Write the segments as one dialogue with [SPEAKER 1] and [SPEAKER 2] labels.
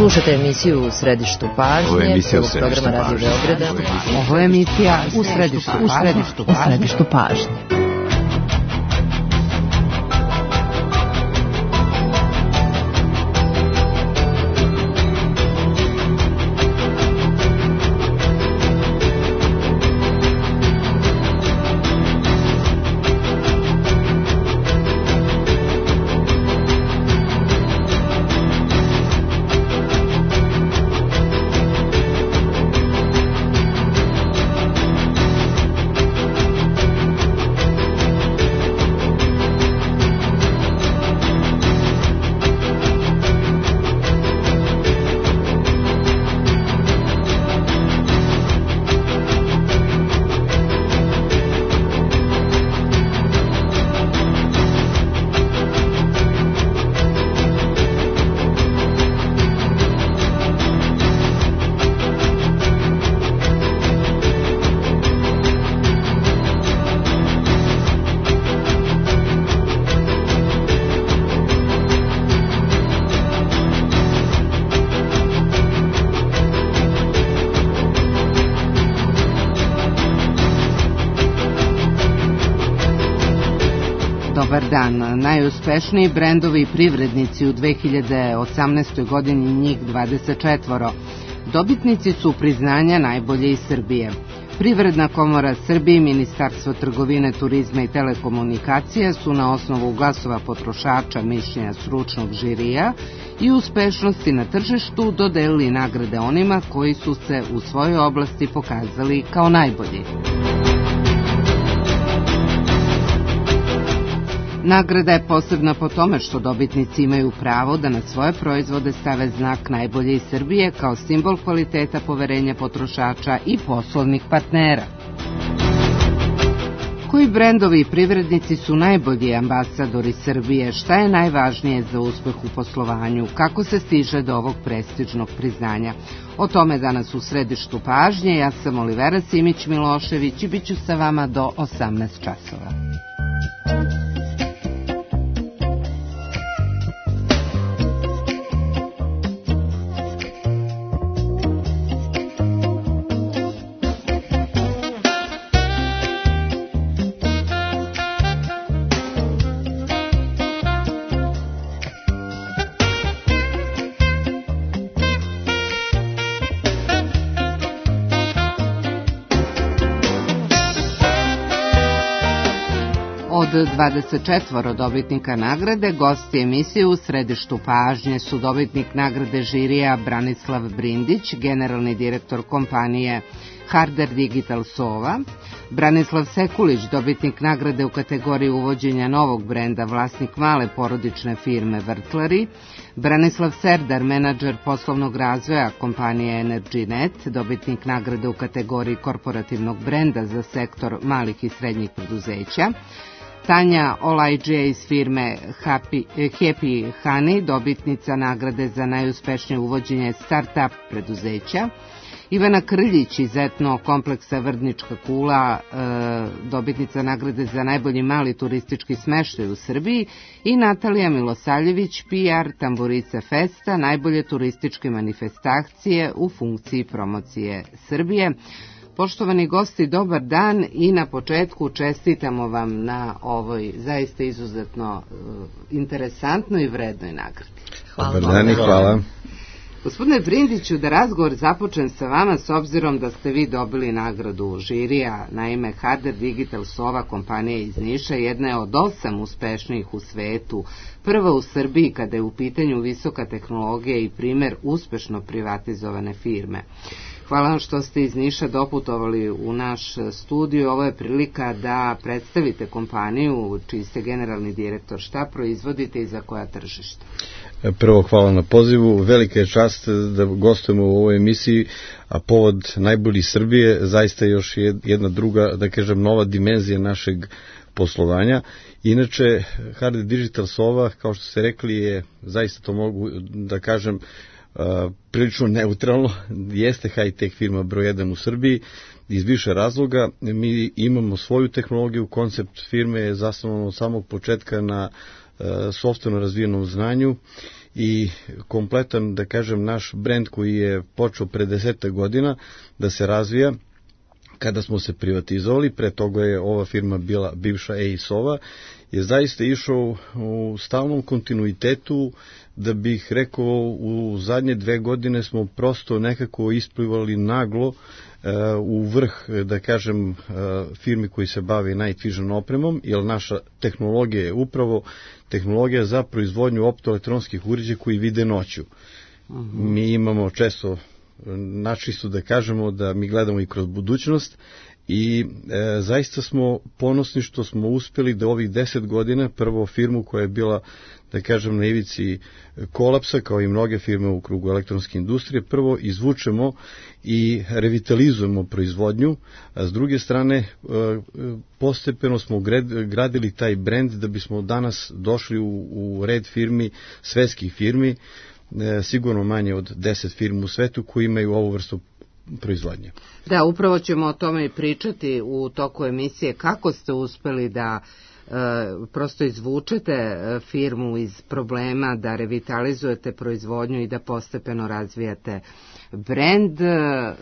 [SPEAKER 1] Slušate emisiju U središtu pažnje.
[SPEAKER 2] Ovo je emisija U
[SPEAKER 1] središtu pažnje.
[SPEAKER 3] Ovo je emisija U središtu pažnje. Dobar dan. Najuspešniji brendovi i privrednici u 2018. godini, njih 24. Dobitnici su priznanja najbolje iz Srbije. Privredna komora Srbije i Ministarstvo trgovine, turizma i telekomunikacija su na osnovu glasova potrošača, mišljenja stručnog žirija i uspešnosti na tržištu dodelili nagrade onima koji su se u svojoj oblasti pokazali kao najbolji. Nagrada je posebna po tome što dobitnici imaju pravo da na svoje proizvode stave znak najbolje iz Srbije kao simbol kvaliteta, poverenja potrošača i poslovnih partnera. Koji brendovi i privrednici su najbolji ambasadori Srbije? Šta je najvažnije za uspeh u poslovanju? Kako se stiže do ovog prestižnog priznanja? O tome danas u središtu pažnje. Ja sam Olivera Simić-Milošević i bit ću sa vama do 18 časova. Od 24 dobitnika nagrade, gosti emisije U središtu pažnje su dobitnik nagrade žirija Branislav Brindić, generalni direktor kompanije Harder Digital Sova, Branislav Sekulić, dobitnik nagrade u kategoriji uvođenja novog brenda, vlasnik male porodične firme Vrtlari, Branislav Serdar, menadžer poslovnog razvoja kompanije EnergyNet, dobitnik nagrade u kategoriji korporativnog brenda za sektor malih i srednjih preduzeća, Tanja Olajđija iz firme Happy Honey, dobitnica nagrade za najuspešnije uvođenje start-up preduzeća, Ivana Krljić iz etno kompleksa Vrdnička kula, dobitnica nagrade za najbolji mali turistički smeštaj u Srbiji, i Natalija Milosavljević, PR Tamburica Festa, najbolje turističke manifestacije u funkciji promocije Srbije. Poštovani gosti, dobar dan i na početku čestitamo vam na ovoj zaista izuzetno interesantnoj i vrednoj nagradi.
[SPEAKER 2] Hvala. Dobar dan i hvala.
[SPEAKER 1] Gospodine Brindiću, da razgovor započnem sa vama s obzirom da ste vi dobili nagradu žirija. Naime, Harder Digital Sova, kompanija iz Niša, jedna je od 8 uspešnijih u svetu, prva u Srbiji kada je u pitanju visoka tehnologija i primer uspešno privatizovane firme. Hvala vam što ste iz Niša doputovali u naš studiju. Ovo je prilika da predstavite kompaniju čiji ste generalni direktor. Šta proizvodite i za koja tržišta?
[SPEAKER 2] Prvo, hvala na pozivu. Velika je čast da gostujemo u ovoj emisiji, a povod najbolji Srbije zaista još jedna druga, da kažem, nova dimenzija našeg poslovanja. Inače, Harder Digital Sova, kao što ste rekli, je, zaista to mogu da kažem, prilično neutralno, jeste high-tech firma broj 1 u Srbiji iz više razloga. Mi imamo svoju tehnologiju, koncept firme je zasnovan od samog početka na sopstveno razvijenom znanju i kompletan, da kažem, naš brend koji je počeo pre 10 godina da se razvija kada smo se privatizovali, pre toga je ova firma bila bivša EIS-ova, je zaista išao u stalnom kontinuitetu, da bih rekao u zadnje 2 godine smo prosto nekako isplivali naglo u vrh, da kažem, firmi koji se bavi night vision opremom, jer naša tehnologija je upravo tehnologija za proizvodnju optoelektronskih uređaja koji vide noću. Mi imamo često načisto da kažemo da mi gledamo i kroz budućnost i zaista smo ponosni što smo uspeli da ovih 10 godina prvo firmu koja je bila, da kažem, na ivici kolapsa, kao i mnoge firme u krugu elektronske industrije, prvo izvučemo i revitalizujemo proizvodnju, a s druge strane postepeno smo gradili taj brend da bismo danas došli u red firmi, svetskih firmi, sigurno manje od 10 firmi u svetu koji imaju ovu vrstu proizvodnje.
[SPEAKER 1] Da, upravo ćemo o tome i pričati u toku emisije, kako ste uspeli da prosto izvučete firmu iz problema, da revitalizujete proizvodnju i da postepeno razvijate brend.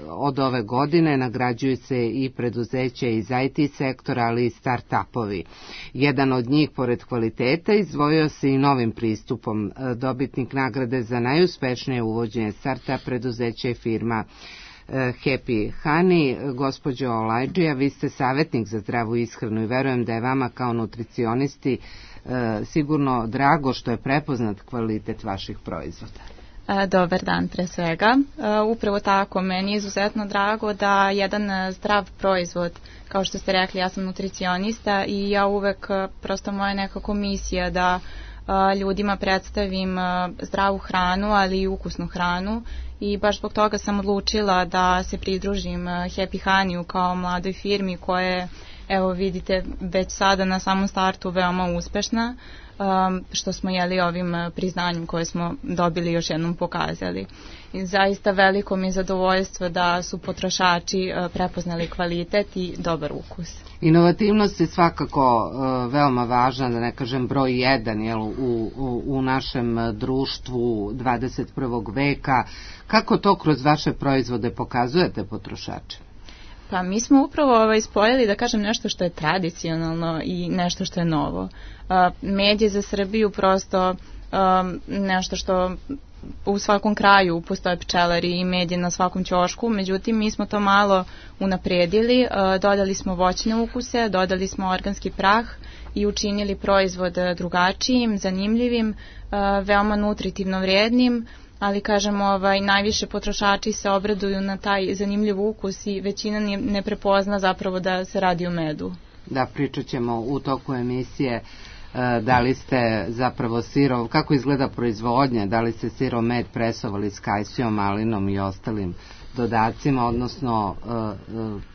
[SPEAKER 1] Od ove godine nagrađuju se i preduzeća iz IT sektora, ali i start-upovi. Jedan od njih, pored kvaliteta, izdvojio se i novim pristupom. Dobitnik nagrade za najuspešnije uvođenje start-up preduzeća je firma Happy Honey. Gospođo Olajđija, vi ste savjetnik za zdravu ishranu i verujem da je vama kao nutricionisti sigurno drago što je prepoznat kvalitet vaših proizvoda.
[SPEAKER 4] Dobar dan pre svega. Upravo tako, meni je izuzetno drago da jedan zdrav proizvod, kao što ste rekli, ja sam nutricionista i ja uvek, prosto moja nekako misija da ljudima predstavim zdravu hranu, ali i ukusnu hranu, i baš zbog toga sam odlučila da se pridružim Happy Honeyu kao mladoj firmi koja je, evo vidite, već sada na samom startu veoma uspešna, što smo ovim priznanjem koje smo dobili još jednom pokazali. I zaista veliko mi je zadovoljstvo da su potrošači prepoznali kvalitet i dobar ukus.
[SPEAKER 1] Inovativnost je svakako veoma važna, da ne kažem broj 1 u našem društvu 21. veka. Kako to kroz vaše proizvode pokazujete potrošačima?
[SPEAKER 4] Pa mi smo upravo spojili, da kažem, nešto što je tradicionalno i nešto što je novo. Med je za Srbiju prosto nešto što u svakom kraju postoje pčelari i med je na svakom ćošku, međutim mi smo to malo unapredili, dodali smo voćne ukuse, dodali smo organski prah i učinili proizvod drugačijim, zanimljivim, veoma nutritivno vrijednim, ali kažem, najviše potrošači se obraduju na taj zanimljiv ukus i većina ne prepozna zapravo da se radi o medu.
[SPEAKER 1] Da, pričat ćemo u toku emisije da li ste zapravo sirov, kako izgleda proizvodnja, da li ste sirov med presovali s kajsijom, malinom i ostalim dodacima, odnosno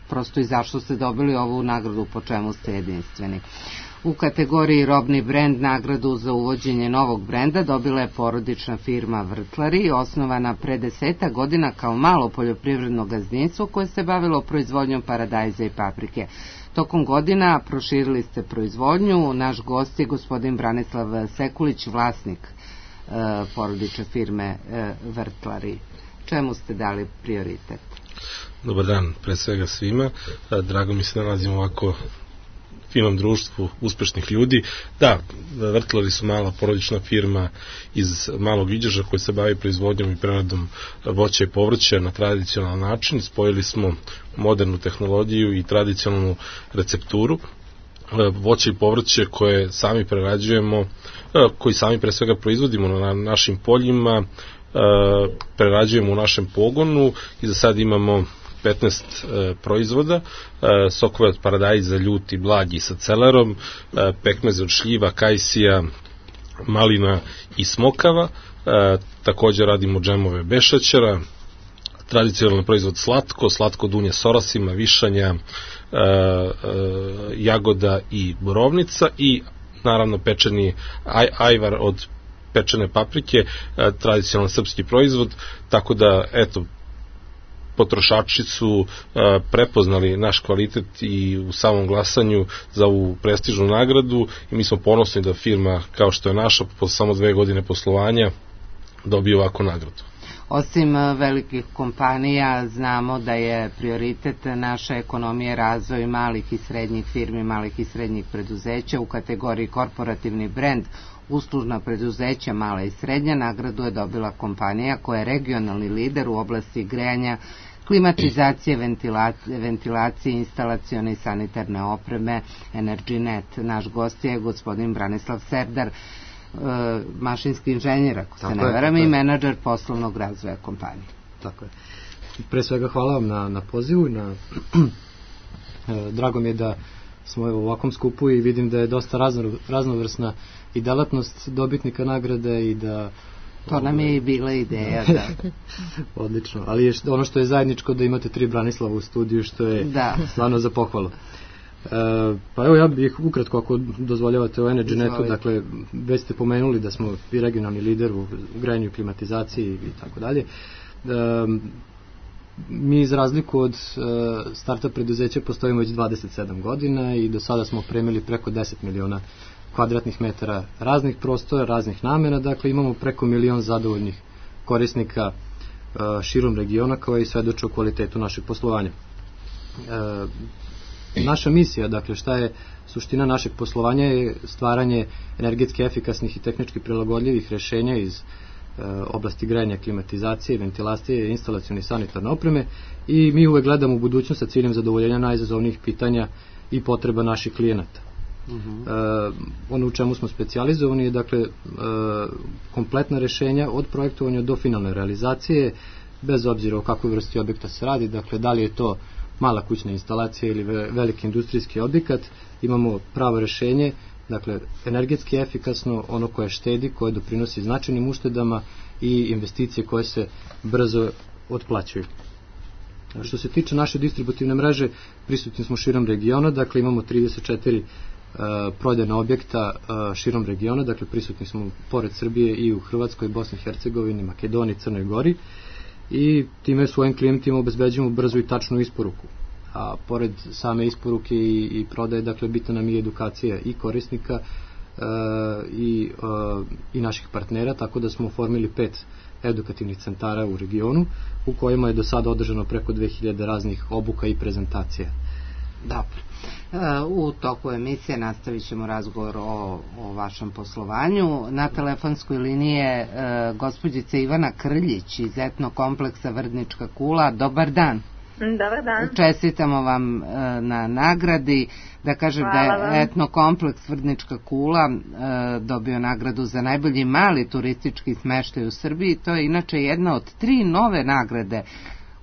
[SPEAKER 1] prosto i zašto ste dobili ovu nagradu, po čemu ste jedinstveni. U kategoriji robni brend nagradu za uvođenje novog brenda dobila je porodična firma Vrtlari, osnovana pre 10 godina kao malo poljoprivredno gazdinstvo koje se bavilo proizvodnjom paradajza i paprike. Tokom godina proširili ste proizvodnju. Naš gost je gospodin Branislav Sekulić, vlasnik porodične firme Vrtlari. Čemu ste dali prioritet?
[SPEAKER 5] Dobar dan, pre svega svima. Drago mi se nalazimo ovako finom društvu uspešnih ljudi. Da, Vrtlari su mala porodična firma iz Malog Iđoša koji se bavi proizvodnjom i preradom voća i povrća na tradicionalan način. Spojili smo modernu tehnologiju i tradicionalnu recepturu. Voće i povrće koje sami prerađujemo, koji sami pre svega proizvodimo na našim poljima, prerađujemo u našem pogonu i za sad imamo 15 proizvoda, sokove od paradajza, ljuti, blagi sa celerom, pekmeze od šljiva, kajsija, malina i smokava, također radimo džemove bez šećera, tradicionalni proizvod slatko dunje s orasima, višanja, jagoda i borovnica i naravno pečeni ajvar od pečene paprike, tradicionalni srpski proizvod, tako da eto, potrošači su prepoznali naš kvalitet i u samom glasanju za ovu prestižnu nagradu i mi smo ponosni da firma kao što je naša po samo 2 godine poslovanja dobije ovakvu nagradu.
[SPEAKER 1] Osim velikih kompanija, znamo da je prioritet naše ekonomije razvoj malih i srednjih firmi, malih i srednjih preduzeća. U kategoriji korporativni brend, uslužna preduzeća mala i srednja, nagradu je dobila kompanija koja je regionalni lider u oblasti grejanja, klimatizacije, ventilacije, instalacione i sanitarne opreme Energynet. Naš gost je gospodin Branislav Serdar, mašinski inženjer, ako se ne varam, i menadžer poslovnog razvoja kompanije.
[SPEAKER 6] Tako je. Pre svega hvala vam na pozivu. Drago mi je da smo u ovakvom skupu i vidim da je dosta raznovrsna i delatnost dobitnika nagrade i da...
[SPEAKER 1] To nam je i bila ideja, da.
[SPEAKER 6] Odlično, ali ono što je zajedničko da imate 3 Branislava u studiju, što je stvarno za pohvalu. Pa evo, ja bih ukratko, ako dozvoljavate, o Energynetu, dakle, već ste pomenuli da smo i regionalni lider u grejanju, klimatizaciji i tako dalje. Mi, iz razliku od starta preduzeća, postojimo već 27 godina i do sada smo opremili preko 10 miliona kvadratnih metara raznih prostora, raznih namena, dakle imamo preko 1 milion zadovoljnih korisnika širom regiona, kao i svedoče o kvalitetu našeg poslovanja. Naša misija, dakle šta je suština našeg poslovanja, je stvaranje energetski efikasnih i tehnički prilagodljivih rešenja iz oblasti grejanja, klimatizacije, ventilacije, instalacione i sanitarne opreme, i mi uvek gledamo u budućnost sa ciljem zadovoljenja najizazovnijih pitanja i potreba naših klijenata. Ono u čemu smo specijalizovani je, dakle, kompletna rešenja od projektovanja do finalne realizacije, bez obzira o kakvoj vrsti objekta se radi, dakle da li je to mala kućna instalacija ili veliki industrijski objekat, imamo pravo rešenje, dakle energetski efikasno, ono koje štedi, koje doprinosi značajnim uštedama i investicije koje se brzo otplaćuju. Što se tiče naše distributivne mreže, prisutni smo širom regiona, dakle imamo 34 prodajna objekta širom regiona, dakle prisutni smo pored Srbije i u Hrvatskoj, Bosni i Hercegovini, Makedoniji, Crnoj Gori, i time svojim klijentima obezbeđujemo brzu i tačnu isporuku. A pored same isporuke i prodaje, dakle, bitna nam je edukacija i korisnika i naših partnera, tako da smo oformili 5 edukativnih centara u regionu, u kojima je do sada održano preko 2000 raznih obuka i prezentacija.
[SPEAKER 1] Dobro. U toku emisije nastavit ćemo razgovor o vašem poslovanju. Na telefonskoj liniji je gospođica Ivana Krljić iz etnokompleksa Vrdnička kula. Dobar dan.
[SPEAKER 7] Dobar dan.
[SPEAKER 1] Čestitamo vam na nagradi. Da kažem da je etnokompleks Vrdnička kula dobio nagradu za najbolji mali turistički smeštaj u Srbiji. To je inače jedna od 3 nove nagrade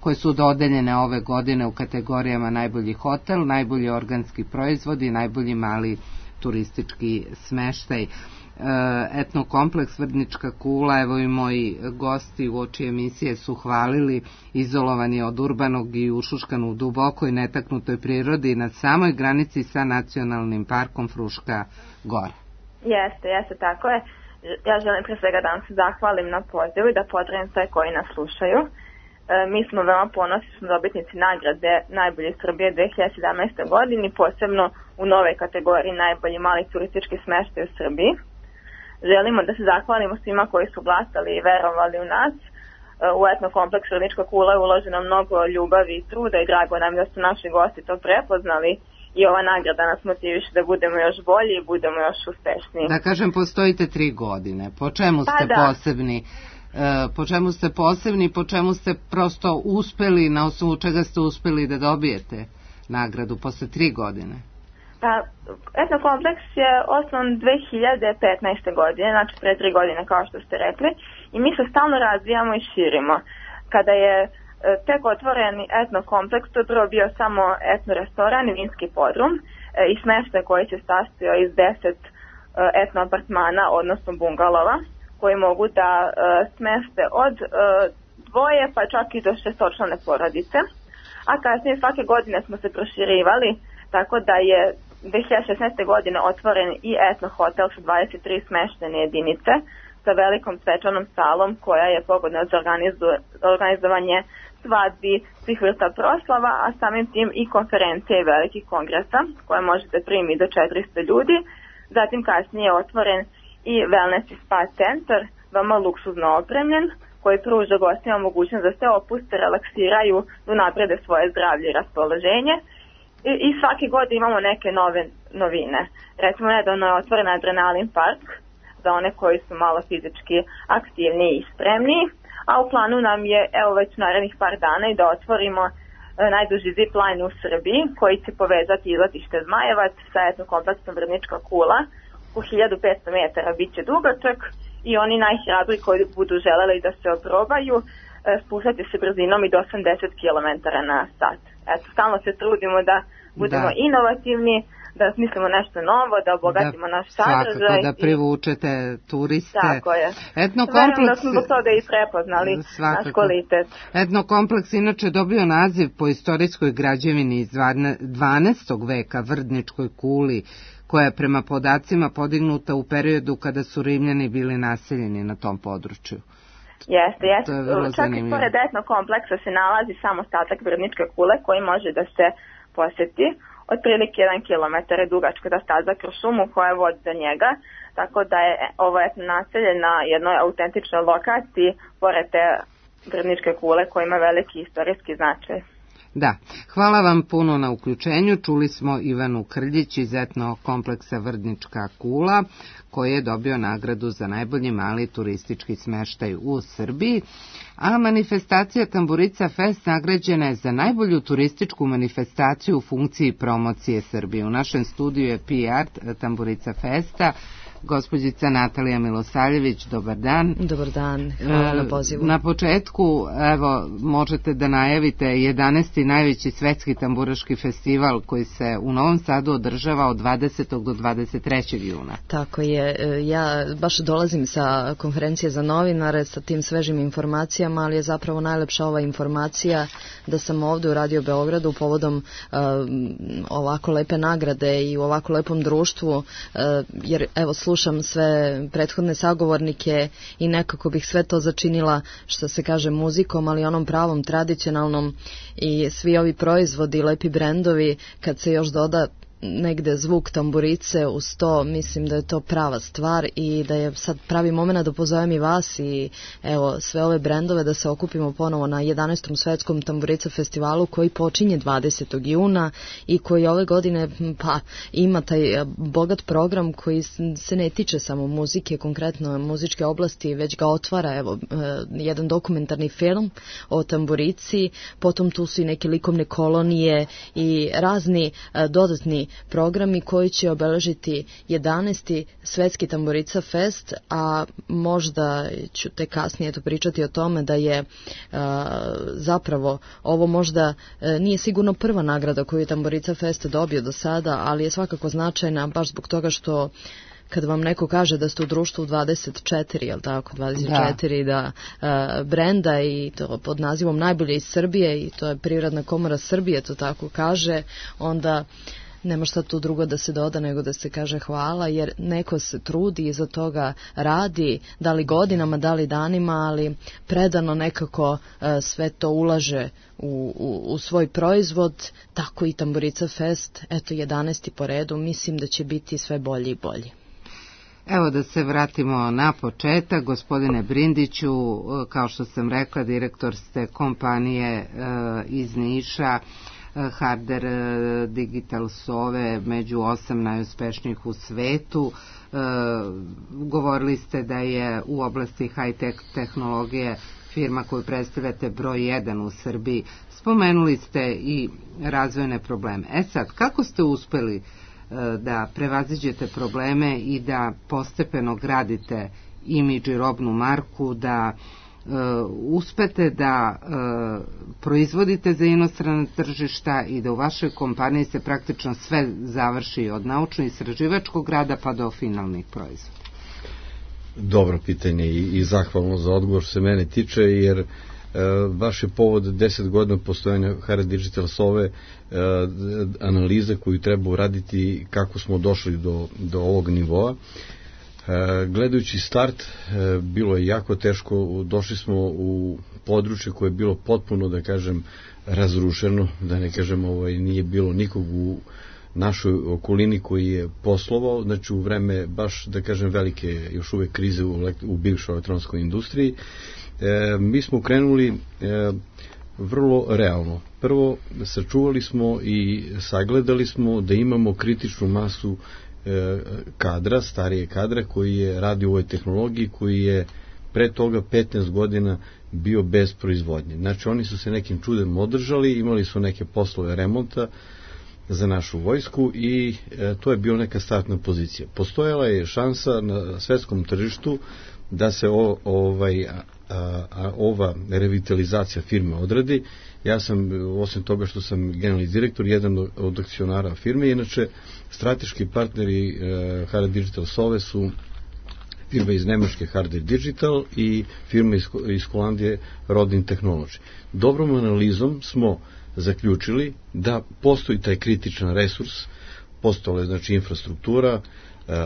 [SPEAKER 1] koje su dodeljene ove godine u kategorijama najbolji hotel, najbolji organski proizvod i najbolji mali turistički smeštaj. Etnokompleks Vrdnička kula, evo i moji gosti u oči emisije su hvalili, izolovani od urbanog i ušuškan u dubokoj netaknutoj prirodi na samoj granici sa nacionalnim parkom Fruška Gora.
[SPEAKER 7] Jeste, tako je. Ja želim pre svega da vam se zahvalim na pozivu i da pozdravim sve koji nas slušaju. Mi smo veoma ponosni, smo dobitnici nagrade Najbolji Srbije 2017. godini, posebno u nove kategoriji najbolji mali turistički smeštaj u Srbiji. Želimo da se zahvalimo svima koji su glasali i verovali u nas. U etnokompleks Vrdnička kula je uloženo mnogo ljubavi i truda i drago nam da su naši gosti to prepoznali i ova nagrada nas motiviše da budemo još bolji i budemo još uspešniji.
[SPEAKER 1] Da kažem, postojite 3 godine. Po čemu ste posebni? Po čemu ste posebni, po čemu ste prosto uspeli, na osnovu čega ste uspeli da dobijete nagradu posle 3 godine?
[SPEAKER 7] Pa, etnokompleks je osnovan 2015. godine, znači pre 3 godine kao što ste rekli, i mi se stalno razvijamo i širimo. Kada je tek otvoren etnokompleks, to je prvo bio samo etno restoran i vinski podrum i smeštaj koji se sastojao iz 10 etno apartmana, odnosno bungalova, koji mogu da smeste od 2 pa čak i do 6-člane porodice, a kasnije svake godine smo se proširivali, tako da je 2016. godine otvoren i etno hotel sa 23 smeštene jedinice sa velikom svečanom salom koja je pogodna za organizovanje svadbi, svih vrsta proslava, a samim tim i konferencije i velikih kongresa koje možete primiti do 400 ljudi. Zatim kasnije je otvoren i wellness i spa centar, veoma luksuzno opremljen, koji pruža gostima mogućnost da se opuste, relaksiraju, da unaprede svoje zdravlje i raspoloženje. I svake godine imamo neke nove novine. Recimo, nedavno je otvoren Adrenalin park za one koji su malo fizički aktivniji i spremniji, a u planu nam je, evo već narednih par dana, i da otvorimo najduži zip line u Srbiji, koji će povezati izletište Zmajevac sa etnokompleksom Vrnička kula. U 1500 metara bit će dugačak i oni najhrabriji koji budu želeli da se oprobaju spuštati se brzinom i do 80 km na sat. Eto, stalno se trudimo da budemo inovativni, da smislimo nešto novo, da obogatimo naš sadržaj.
[SPEAKER 1] Svakako, da privučete turiste.
[SPEAKER 7] Tako je. Verujem da smo do toga i prepoznali naš kvalitet.
[SPEAKER 1] Etnokompleks inače dobio naziv po istorijskoj građevini iz 12. veka, Vrdničkoj kuli, koja je prema podacima podignuta u periodu kada su Rimljani bili naseljeni na tom području.
[SPEAKER 7] Jeste. Čak i pored etnokompleksa se nalazi sam ostatak Vrdničke kule koji može da se poseti. Otprilike 1 kilometar je dugačka staza kroz šumu koja vodi do njega, tako da je ovo naselje na jednoj autentičnoj lokaciji pored te Vrdničke kule koja ima veliki istorijski značaj.
[SPEAKER 1] Da, hvala vam puno na uključenju. Čuli smo Ivanu Krljić iz etnokompleksa Vrdnička kula, koji je dobio nagradu za najbolji mali turistički smeštaj u Srbiji, a manifestacija Tamburica Fest nagrađena je za najbolju turističku manifestaciju u funkciji promocije Srbije. U našem studiju je PR Tamburica Festa, gospođica Natalija Milosavljević. Dobar dan.
[SPEAKER 8] Dobar dan, hvala na pozivu.
[SPEAKER 1] Na početku, evo, možete da najavite 11. najveći svetski tamburaški festival koji se u Novom Sadu održava od 20. do 23. juna.
[SPEAKER 8] Tako je, ja baš dolazim sa konferencije za novinare sa tim svežim informacijama, ali je zapravo najlepša ova informacija da sam ovdje u Radio Beogradu povodom ovako lepe nagrade i u ovako lepom društvu, jer evo slušam sve prethodne sagovornike i nekako bih sve to začinila, što se kaže, muzikom, ali onom pravom, tradicionalnom, i svi ovi proizvodi, lepi brendovi, kad se još doda negde zvuk tamburice uz to, mislim da je to prava stvar i da je sad pravi moment da pozovem i vas i evo sve ove brendove da se okupimo ponovo na 11. svetskom tamburica festivalu koji počinje 20. juna i koji ove godine pa ima taj bogat program koji se ne tiče samo muzike, konkretno muzičke oblasti, već ga otvara evo jedan dokumentarni film o tamburici, potom tu su i neke likovne kolonije i razni dodatni programi koji će obeležiti 11. svetski Tamburica Fest, a možda ću te kasnije pričati o tome da je zapravo ovo možda nije sigurno prva nagrada koju je Tamburica Fest dobio do sada, ali je svakako značajna baš zbog toga što kad vam neko kaže da ste u društvu 24, jel tako, 24 brenda i to pod nazivom Najbolje iz Srbije i to je Privredna komora Srbije, to tako kaže, onda nema šta tu drugo da se doda nego da se kaže hvala, jer neko se trudi i za toga radi, da li godinama, da li danima, ali predano nekako sve to ulaže u svoj proizvod, tako i Tamburica Fest, eto 11. po redu, mislim da će biti sve bolji i bolji.
[SPEAKER 1] Evo da se vratimo na početak. Gospodine Brindiću, kao što sam rekla, direktor ste kompanije iz Niša, Harder Digital Sove, među 8 najuspešnijih u svetu. Govorili ste da je u oblasti high-tech tehnologije firma koju predstavljate broj 1 u Srbiji. Spomenuli ste i razvojne probleme. Sad, kako ste uspeli da prevaziđete probleme i da postepeno gradite imidž i robnu marku, da uspete da proizvodite za inostrana tržišta i da u vašoj kompaniji se praktično sve završi od naučno-istraživačkog rada pa do finalnih proizvoda?
[SPEAKER 2] Dobro pitanje i zahvalno za odgovor se mene tiče, jer baš je povod 10 godina postojanja Harder Digital Sove analiza koju treba uraditi kako smo došli do ovog nivoa. Gledajući start, bilo je jako teško, došli smo u područje koje je bilo potpuno, da kažem, razrušeno, da ne kažem, nije bilo nikog našoj okolini koji je poslovao, znači u vreme baš, da kažem, velike još uvek krize u bivšoj elektronskoj industriji. Mi smo krenuli vrlo realno. Prvo, sačuvali smo i sagledali smo da imamo kritičnu masu kadra, starije kadra koji je radio u ovoj tehnologiji, koji je pre toga 15 godina bio bez proizvodnje. Znači oni su se nekim čudem održali, imali su neke poslove remonta za našu vojsku i to je bila neka startna pozicija. Postojala je šansa na svetskom tržištu da se ova revitalizacija firme odradi. Ja sam, osim toga što sam generalni direktor, jedan od akcionara firme, inače strateški partneri Harder Digital Sove su firma iz Nemačke Harder Digital i firma iz Holandije Rodin Technology. Dobrom analizom smo zaključili da postoji taj kritičan resurs, postojala je znači infrastruktura,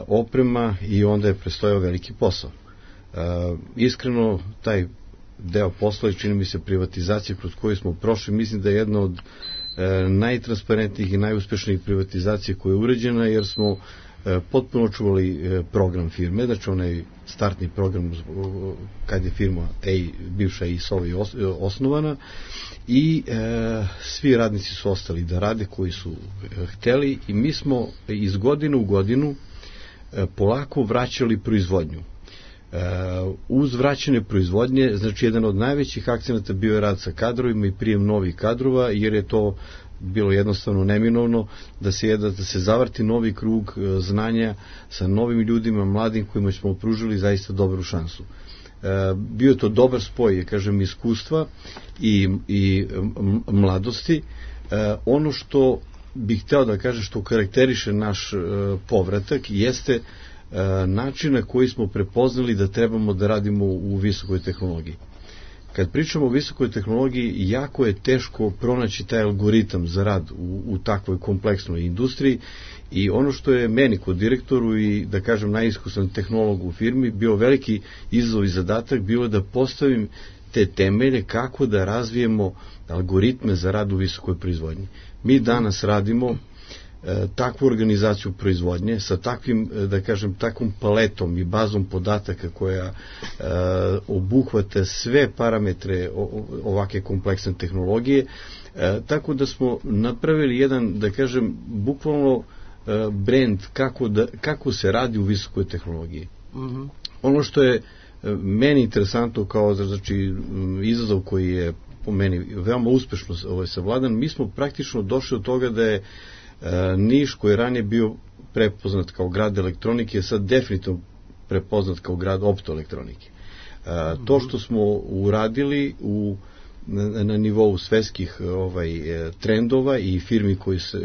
[SPEAKER 2] oprema i onda je prestojao veliki posao. Iskreno, taj deo posla, čini mi se privatizacija kroz koju smo prošli, mislim da je jedna od najtransparentnijih i najuspešnijih privatizacija koja je uređena, jer smo potpuno čuvali program firme, znači onaj startni program kad je firma bivša EISOVA osnovana, i svi radnici su ostali da rade koji su hteli i mi smo iz godine u godinu polako vraćali proizvodnju. Uz vraćanje proizvodnje, znači jedan od najvećih akcenata bio je rad sa kadrovima i prijem novih kadrova, jer je to bilo jednostavno neminovno da se zavrti novi krug znanja sa novim ljudima, mladim kojima smo pružili zaista dobru šansu. Bio je to dobar spoj, kažem, iskustva i mladosti. Ono što bih hteo da kažem, što karakteriše naš povratak, jeste način na koji smo prepoznali da trebamo da radimo u visokoj tehnologiji. Kad pričamo o visokoj tehnologiji, jako je teško pronaći taj algoritam za rad u takvoj kompleksnoj industriji, i ono što je meni kod direktoru i, da kažem, najiskusan tehnolog u firmi bio veliki izazov i zadatak, bilo je da postavim te temelje kako da razvijemo algoritme za rad u visokoj proizvodnji. Mi danas radimo takvu organizaciju proizvodnje sa takvim, da kažem, takvom paletom i bazom podataka koja obuhvata sve parametre ovake kompleksne tehnologije, tako da smo napravili jedan, da kažem, bukvalno brand kako se radi u visokoj tehnologiji. Ono što je meni interesantno kao, znači, izazov koji je po meni veoma uspešno savladan, mi smo praktično došli do toga da je Niš, koji je ranije bio prepoznat kao grad elektronike, je sad definitivno prepoznat kao grad optoelektronike. To što smo uradili na nivou svetskih trendova i firmi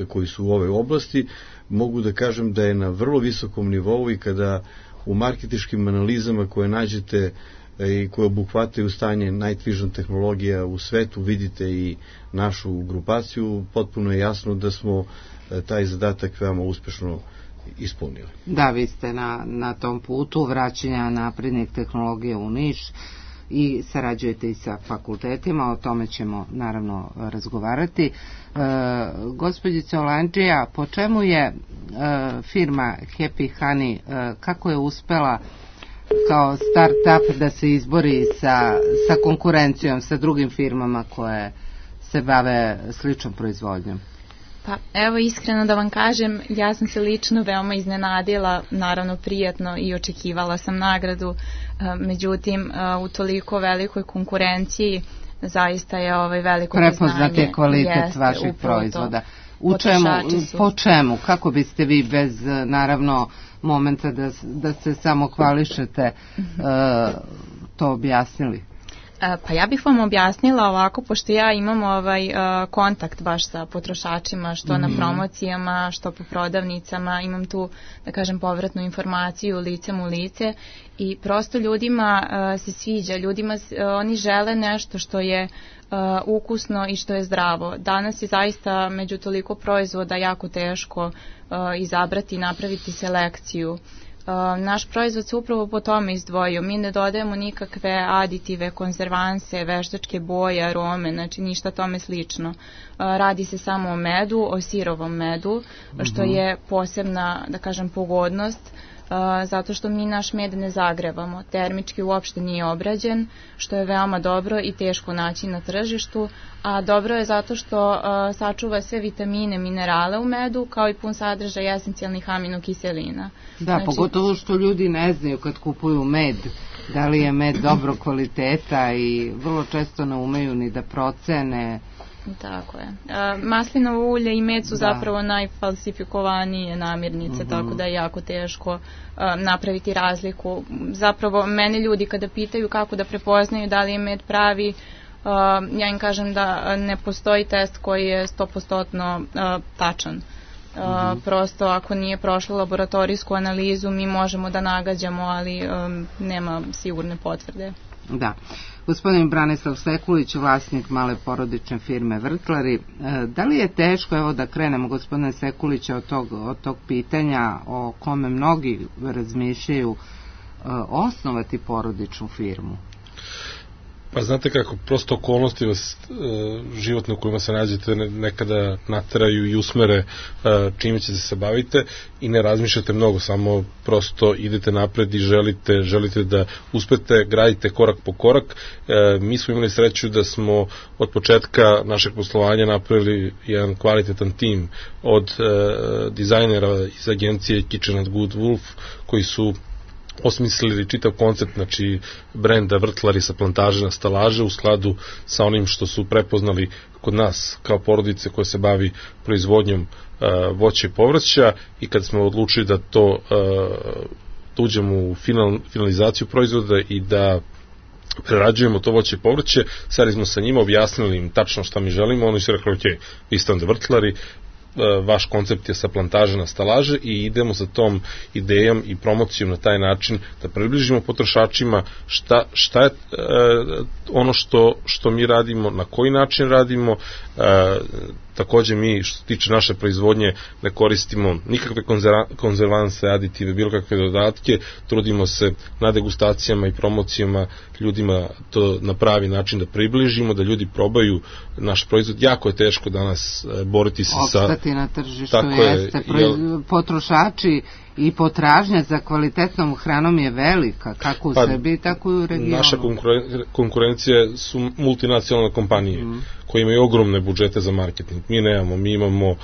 [SPEAKER 2] koji su u ovoj oblasti, mogu da kažem da je na vrlo visokom nivou, i kada u marketinškim analizama koje nađete i koje obuhvataju stanje Night Vision tehnologija u svetu, vidite i našu grupaciju, potpuno je jasno da smo taj zadatak veoma uspešno ispunili.
[SPEAKER 1] Da, vi ste na tom putu vraćanja naprednih tehnologija u Niš i sarađujete i sa fakultetima, o tome ćemo naravno razgovarati. Gospođice Olandžija, po čemu je firma Happy Honey, kako je uspela kao start-up da se izbori sa konkurencijom, sa drugim firmama koje se bave sličnom proizvodnjom?
[SPEAKER 4] Pa evo, iskreno da vam kažem, ja sam se lično veoma iznenadila, naravno prijatno, i očekivala sam nagradu, međutim u toliko velikoj konkurenciji zaista je veliko neznanje. Prepoznat je
[SPEAKER 1] kvalitet vaših proizvoda. Po čemu? Kako biste vi bez, naravno, momenta da se samo hvališete to objasnili?
[SPEAKER 4] Pa ja bih vam objasnila ovako, pošto ja imam kontakt baš sa potrošačima, što na promocijama, što po prodavnicama, imam tu, da kažem, povratnu informaciju licem u lice, i prosto ljudima se sviđa, oni žele nešto što je ukusno i što je zdravo. Danas je zaista među toliko proizvoda jako teško izabrati i napraviti selekciju. Naš proizvod se upravo po tome izdvojio. Mi ne dodajemo nikakve aditive, konzervanse, veštačke boje, arome, znači ništa tome slično. Radi se samo o medu, o sirovom medu, što je posebna, da kažem, pogodnost, zato što mi naš med ne zagrevamo. Termički uopšte nije obrađen, što je veoma dobro i teško naći na tržištu, a dobro je zato što sačuva sve vitamine, minerale u medu, kao i pun sadržaj esencijalnih aminokiselina.
[SPEAKER 1] Da,
[SPEAKER 4] znači,
[SPEAKER 1] pogotovo što ljudi ne znaju kad kupuju med, da li je med dobro kvaliteta i vrlo često ne umeju ni da procene.
[SPEAKER 4] Tako je. Maslinovo ulje i med su zapravo najfalsifikovanije namirnice, tako da je jako teško napraviti razliku. Zapravo, mene ljudi kada pitaju kako da prepoznaju da li je med pravi, ja im kažem da ne postoji test koji je 100% tačan. Prosto ako nije prošla laboratorijsku analizu mi možemo da nagađamo, ali nema sigurne potvrde.
[SPEAKER 1] Da. Gospodin Branislav Sekulić, vlasnik male porodične firme Vrtlari, da li je teško, evo da krenemo gospodine Sekulića od tog pitanja o kome mnogi razmišljaju, osnovati porodičnu firmu?
[SPEAKER 5] Pa znate kako, prosto okolnosti vas životne u kojima se nađete nekada nateraju i usmere čime ćete se bavite i ne razmišljate mnogo, samo prosto idete napred i želite da uspete, gradite korak po korak. Mi smo imali sreću da smo od početka našeg poslovanja napravili jedan kvalitetan tim od dizajnera iz agencije Kitchen and Good Wolf, koji su osmislili čitav koncept, znači brenda Vrtlari sa plantaže na stalaže u skladu sa onim što su prepoznali kod nas kao porodice koja se bavi proizvodnjom voća i povrća, i kad smo odlučili da to da uđemo u finalizaciju proizvoda i da prerađujemo to voće i povrće, seli smo sa njima, objasnili im tačno šta mi želimo, oni su rekli, ok, vi ste onda Vrtlari, vaš koncept je sa plantaže na stalaže i idemo sa tom idejom i promocijom na taj način da približimo potrošačima šta je ono što mi radimo, na koji način radimo. Takođe mi, što se tiče naše proizvodnje, ne koristimo nikakve konzervanse, aditive, bilo kakve dodatke, trudimo se na degustacijama i promocijama ljudima to na pravi način da približimo, da ljudi probaju naš proizvod. Jako je teško danas boriti se sa...
[SPEAKER 1] Opstati na tržištu, jeste. Potrošači i potražnja za kvalitetnom hranom je velika, kako u Srbiji, tako i u regionu.
[SPEAKER 5] Naša konkurencija su multinacionalne kompanije koje imaju ogromne budžete za marketing. Mi nemamo, mi imamo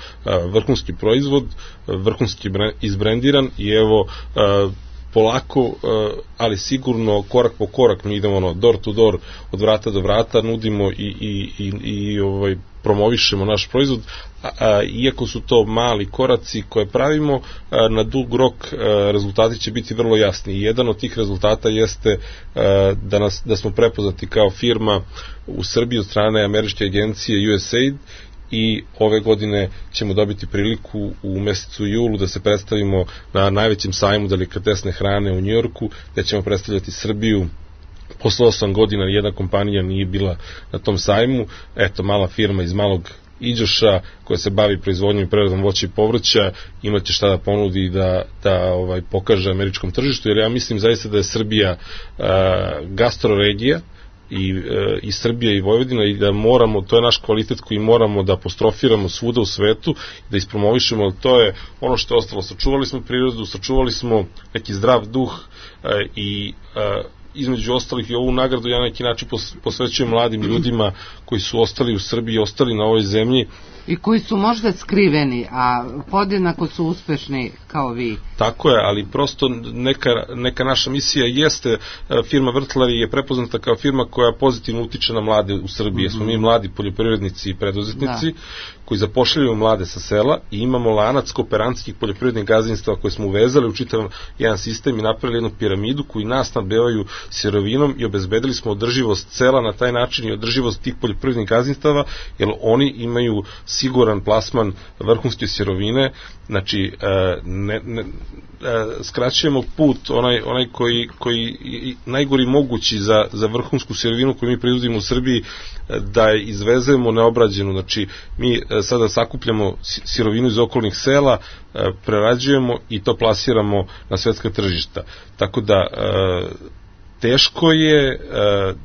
[SPEAKER 5] vrhunski proizvod, vrhunski izbrendiran i evo polako, ali sigurno korak po korak mi idemo door to door, od vrata do vrata, nudimo i promovišemo naš proizvod, iako su to mali koraci koje pravimo, na dug rok rezultati će biti vrlo jasni. I jedan od tih rezultata jeste da smo prepoznati kao firma u Srbiji od strane američke agencije USAID, i ove godine ćemo dobiti priliku u mesecu julu da se predstavimo na najvećem sajmu delikatesne hrane u Njujorku, gde ćemo predstavljati Srbiju. Posle 8 godina jedna kompanija nije bila na tom sajmu. Eto, mala firma iz Malog Iđoša koja se bavi proizvodnjom i preradom voća i povrća imaće šta da ponudi i da pokaže američkom tržištu, jer ja mislim zaista da je Srbija gastroregija i Srbija i Vojvodina, i da moramo, to je naš kvalitet koji moramo da apostrofiramo svuda u svetu, da ispromovišemo. To je ono što je ostalo. Sačuvali smo prirodu, sačuvali smo neki zdrav duh i između ostalih i ovu nagradu ja na neki način posvećujem mladim ljudima koji su ostali u Srbiji, ostali na ovoj zemlji.
[SPEAKER 1] I koji su možda skriveni, a podjednako su uspešni kao vi.
[SPEAKER 5] Tako je, ali prosto neka naša misija jeste, firma Vrtlari je prepoznata kao firma koja pozitivno utiče na mlade u Srbiji. Smo mi mladi poljoprivrednici i preduzetnici koji zapošljavaju mlade sa sela i imamo lanac kooperantskih poljoprivrednih gazdinstava koje smo uvezali u čitav jedan sistem i napravili jednu piramidu koji nas snabdevaju sirovinom i obezbedili smo održivost sela na taj način i održivost tih poljoprivrednih gazdinstava, jer oni imaju siguran plasman vrhunske sirovine. Znači skraćujemo put onaj koji najgori mogući za vrhunsku sirovinu koju mi proizvodimo u Srbiji, da je izvezemo neobrađenu. Znači mi sada sakupljamo sirovinu iz okolnih sela, prerađujemo i to plasiramo na svetska tržišta. Tako da teško je,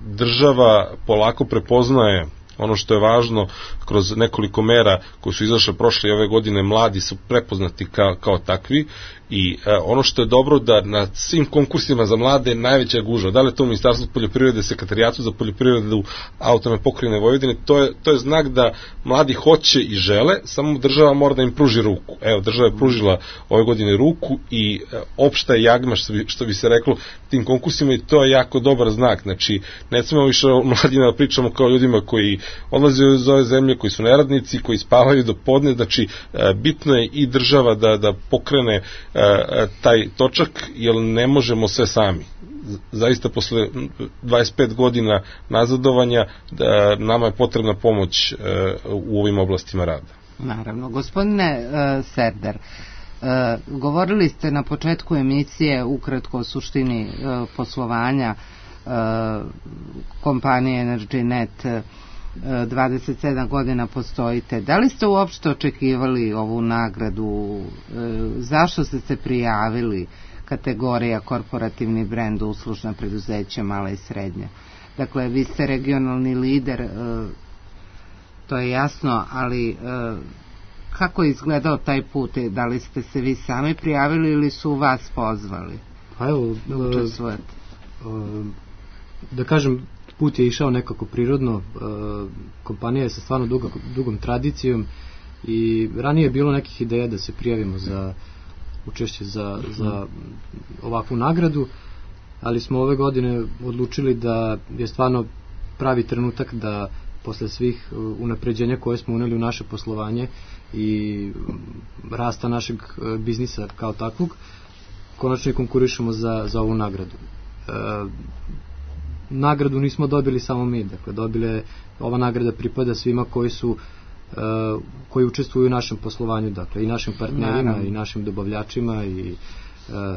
[SPEAKER 5] država polako prepoznaje ono što je važno kroz nekoliko mera koje su izašle prošle i ove godine, mladi su prepoznati kao takvi i ono što je dobro da na svim konkursima za mlade je najveća gužva. Da li je to Ministarstvo poljoprivrede, Sekretarijatu za poljoprivredu Autonomne pokrajine Vojvodine, to je znak da mladi hoće i žele, samo država mora da im pruži ruku. Evo, država je pružila ove godine ruku i opšta je jagma, što bi se reklo, tim konkursima i to je jako dobar znak. Znači, ne smemo više o mladima da pričamo kao ljudima koji odlaze iz ove zemlje, koji su neradnici, koji spavaju do podne, znači bitno je i država da pokrene taj točak, jer ne možemo sve sami. Zaista posle 25 godina nazadovanja nama je potrebna pomoć u ovim oblastima rada.
[SPEAKER 1] Naravno. Gospodine Serder, govorili ste na početku emisije ukratko o suštini poslovanja kompanije EnergyNet. 27 godina postojite. Da li ste uopšte očekivali ovu nagradu? Zašto ste se prijavili? Kategorija korporativni brend, uslužna preduzeća, mala i srednja. Dakle, vi ste regionalni lider, to je jasno, ali kako je izgledao taj put? Da li ste se vi sami prijavili ili su vas pozvali?
[SPEAKER 6] Pa evo, da kažem, put je išao nekako prirodno, kompanija je sa stvarno dugom tradicijom i ranije je bilo nekih ideja da se prijavimo za učešće za ovakvu nagradu, ali smo ove godine odlučili da je stvarno pravi trenutak da posle svih unapređenja koje smo uneli u naše poslovanje i rasta našeg biznisa kao takvog, konačno i konkurišemo za ovu nagradu. Nagradu nismo dobili samo mi, dakle ova nagrada pripada svima koji učestvuju u našem poslovanju, dakle i našim partnerima i našim dobavljačima i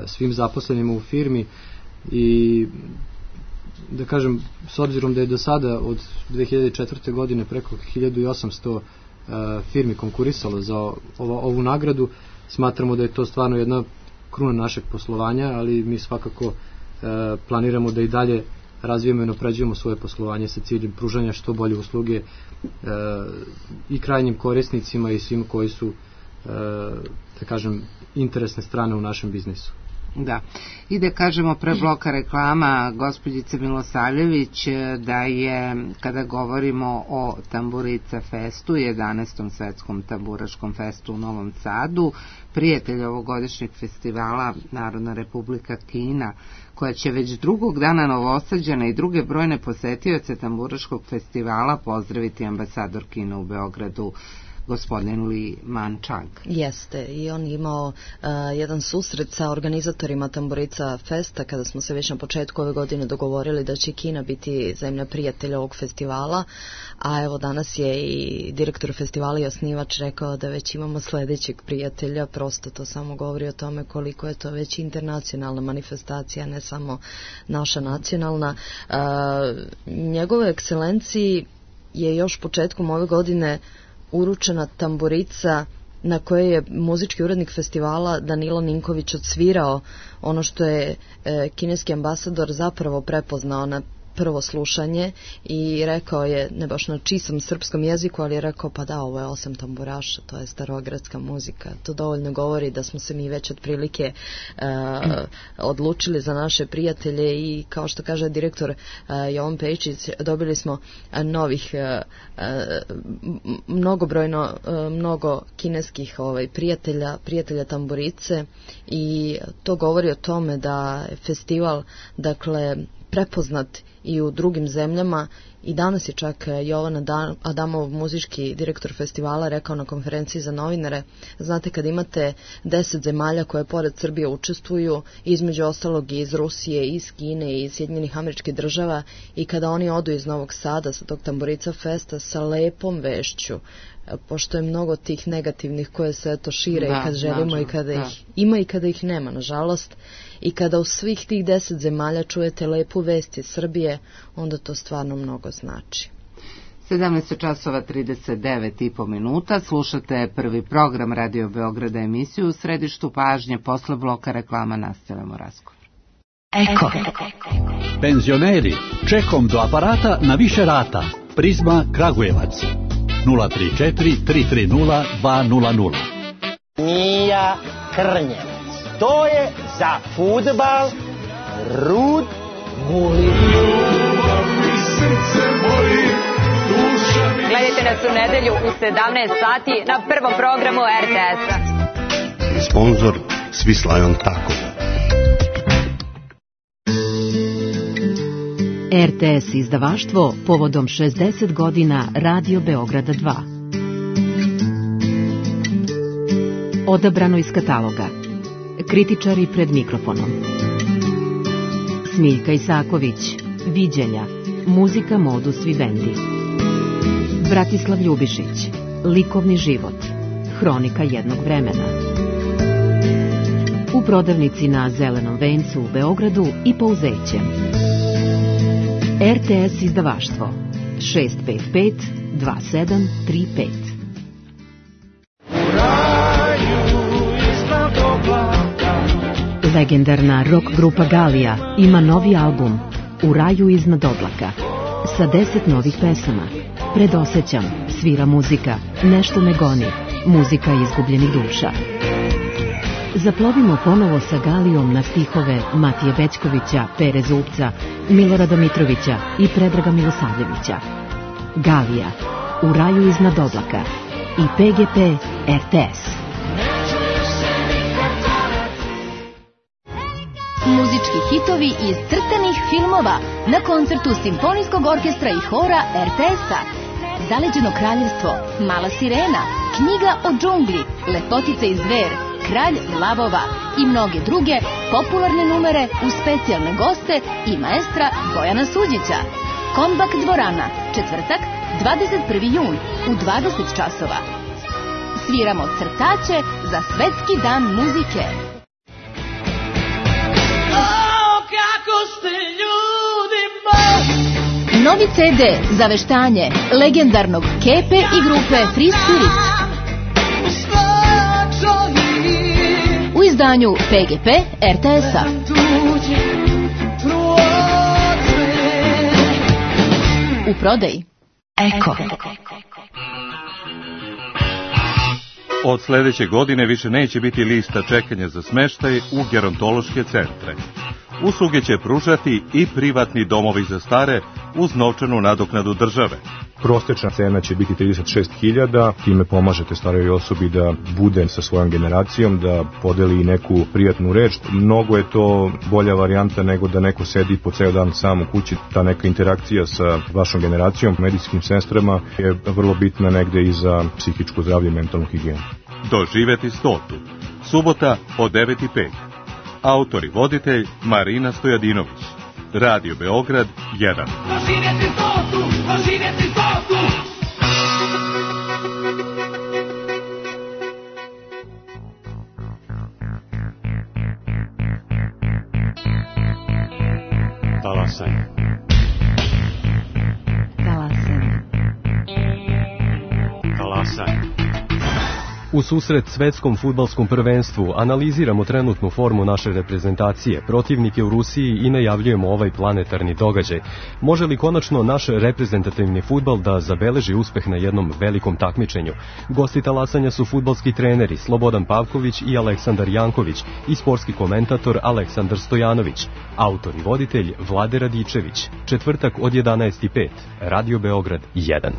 [SPEAKER 6] svim zaposlenima u firmi i da kažem, s obzirom da je do sada od 2004. godine preko 1800 firmi konkurisalo za ovu nagradu, smatramo da je to stvarno jedna kruna našeg poslovanja, ali mi svakako planiramo da i dalje razvijemo i napređujemo svoje poslovanje sa ciljem pružanja što bolje usluge i krajnjim korisnicima i svim koji su, da kažem, interesne strane u našem biznisu.
[SPEAKER 1] Da. I da kažemo pre bloka reklama gospođice Milosavljević da je, kada govorimo o Tamburica festu, 11. svetskom tamburaškom festu u Novom Sadu, prijatelj ovogodišnjeg festivala Narodna Republika Kina, koja će već drugog dana Novosađana i druge brojne posetioce tamburaškog festivala pozdraviti ambasador Kina u Beogradu, gospodin Li Manchang.
[SPEAKER 8] Jeste, i on imao jedan susret sa organizatorima Tamburica festa kada smo se već na početku ove godine dogovorili da će Kina biti zemlja prijatelja ovog festivala, a evo danas je i direktor festivala i osnivač rekao da već imamo sledećeg prijatelja, prosto to samo govori o tome koliko je to već internacionalna manifestacija, ne samo naša nacionalna. Njegove ekscelenciji je još početkom ove godine uručena tamburica na kojoj je muzički urednik festivala Danilo Ninković odsvirao ono što je kineski ambasador zapravo prepoznao na prvo slušanje i rekao je, ne baš na čistom srpskom jeziku, ali je rekao pa da, ovo je 8 tamburaša, to je starogradska muzika. To dovoljno govori da smo se mi već otprilike odlučili za naše prijatelje i kao što kaže direktor Jovan Pejičić, dobili smo novih mnogo kineskih prijatelja tamburice i to govori o tome da je festival, dakle, prepoznat i u drugim zemljama i danas je čak Jovan Adamov, muzički direktor festivala, rekao na konferenciji za novinare, znate, kad imate 10 zemalja koje pored Srbije učestvuju, između ostalog i iz Rusije, iz Kine i iz Sjedinjenih Američkih Država, i kada oni odu iz Novog Sada sa tog Tamburica festa sa lepom vešću, pošto je mnogo tih negativnih koje se eto šire i kad želimo i kada ih ima i kada ih nema, nažalost, i kada u svih tih 10 zemalja čujete lepu vest iz Srbije, onda to stvarno mnogo znači.
[SPEAKER 1] 17:39 slušate prvi program Radio Beograda, emisiju u središtu pažnje. Posle bloka reklama nastavljamo razgovor.
[SPEAKER 9] Eko. Penzioneri, čekom do aparata na više rata. Prizma Kragujevac 034 330 200.
[SPEAKER 10] Mija Krnjevac. To je za fudbal Rud Gulin.
[SPEAKER 11] Gledajte nas u nedelju u 17 sati na prvom programu RTS-a.
[SPEAKER 12] Sponzor Swiss Lion Taco.
[SPEAKER 13] RTS izdavaštvo povodom 60 godina Radio Beograda 2. Odabrano iz kataloga. Kritičari pred mikrofonom. Smiljka Isaković. Viđenja. Muzika Modus Vivendi. Bratislav Ljubišić. Likovni život. Hronika jednog vremena. U prodavnici na Zelenom vencu u Beogradu i Pouzeće. RTS izdavaštvo 655 2735. Legendarna rock grupa Galija ima novi album U raju iznad oblaka sa 10 novih pesama. Predosećam, svira muzika, nešto me goni, muzika izgubljenih duša. Zaplovimo ponovo sa Galijom na stihove Matije Bećkovića, Pere Zupca, Milorada Mitrovića i Predraga Milosavljevića. Galija, U raju iznad oblaka i PGP RTS.
[SPEAKER 14] Muzički hitovi iz crtanih filmova na koncertu Simfonijskog orkestra i hora RTS-a. Zaleđeno kraljevstvo, Mala sirena, Knjiga o džungli, Lepotica i zver, Kralj lavova i mnoge druge popularne numere uz specijalne goste i maestra Bojana Suđića. Kombak dvorana, četvrtak, 21. jun u 20 časova. Sviramo crtaće za Svetski dan muzike. Novi CD za veštanje legendarnog Kepe i grupe Free Spirit. U izdanju PGP RTS-a. U prodaji Eko.
[SPEAKER 15] Od sledeće godine više neće biti lista čekanja za smeštaj u gerontološke centre. Usluge će pružati i privatni domovi za stare uz novčanu nadoknadu države.
[SPEAKER 16] Prosečna cena će biti 36.000, time pomažete starijoj osobi da bude sa svojom generacijom, da podeli neku prijatnu reč. Mnogo je to bolja varijanta nego da neko sedi po ceo dan sam u kući. Ta neka interakcija sa vašom generacijom, medicinskim sestrama je vrlo bitna negde i za psihičko zdravlje i mentalnu higijenu.
[SPEAKER 15] Doživeti 100. Subota od 9:05. Autor i voditelj Marina Stojadinović. Radio Beograd 1. Doživjeti 100, doživjeti 100.
[SPEAKER 17] Talasaj.
[SPEAKER 13] Talasaj.
[SPEAKER 17] Talasaj.
[SPEAKER 18] U susret svetskom fudbalskom prvenstvu analiziramo trenutnu formu naše reprezentacije, protivnike u Rusiji i najavljujemo ovaj planetarni događaj. Može li konačno naš reprezentativni fudbal da zabeleži uspeh na jednom velikom takmičenju? Gosti talasanja su fudbalski treneri Slobodan Pavković i Aleksandar Janković i sportski komentator Aleksandar Stojanović. Autor i voditelj Vlade Radičević. Četvrtak od 11:05. Radio Beograd 1.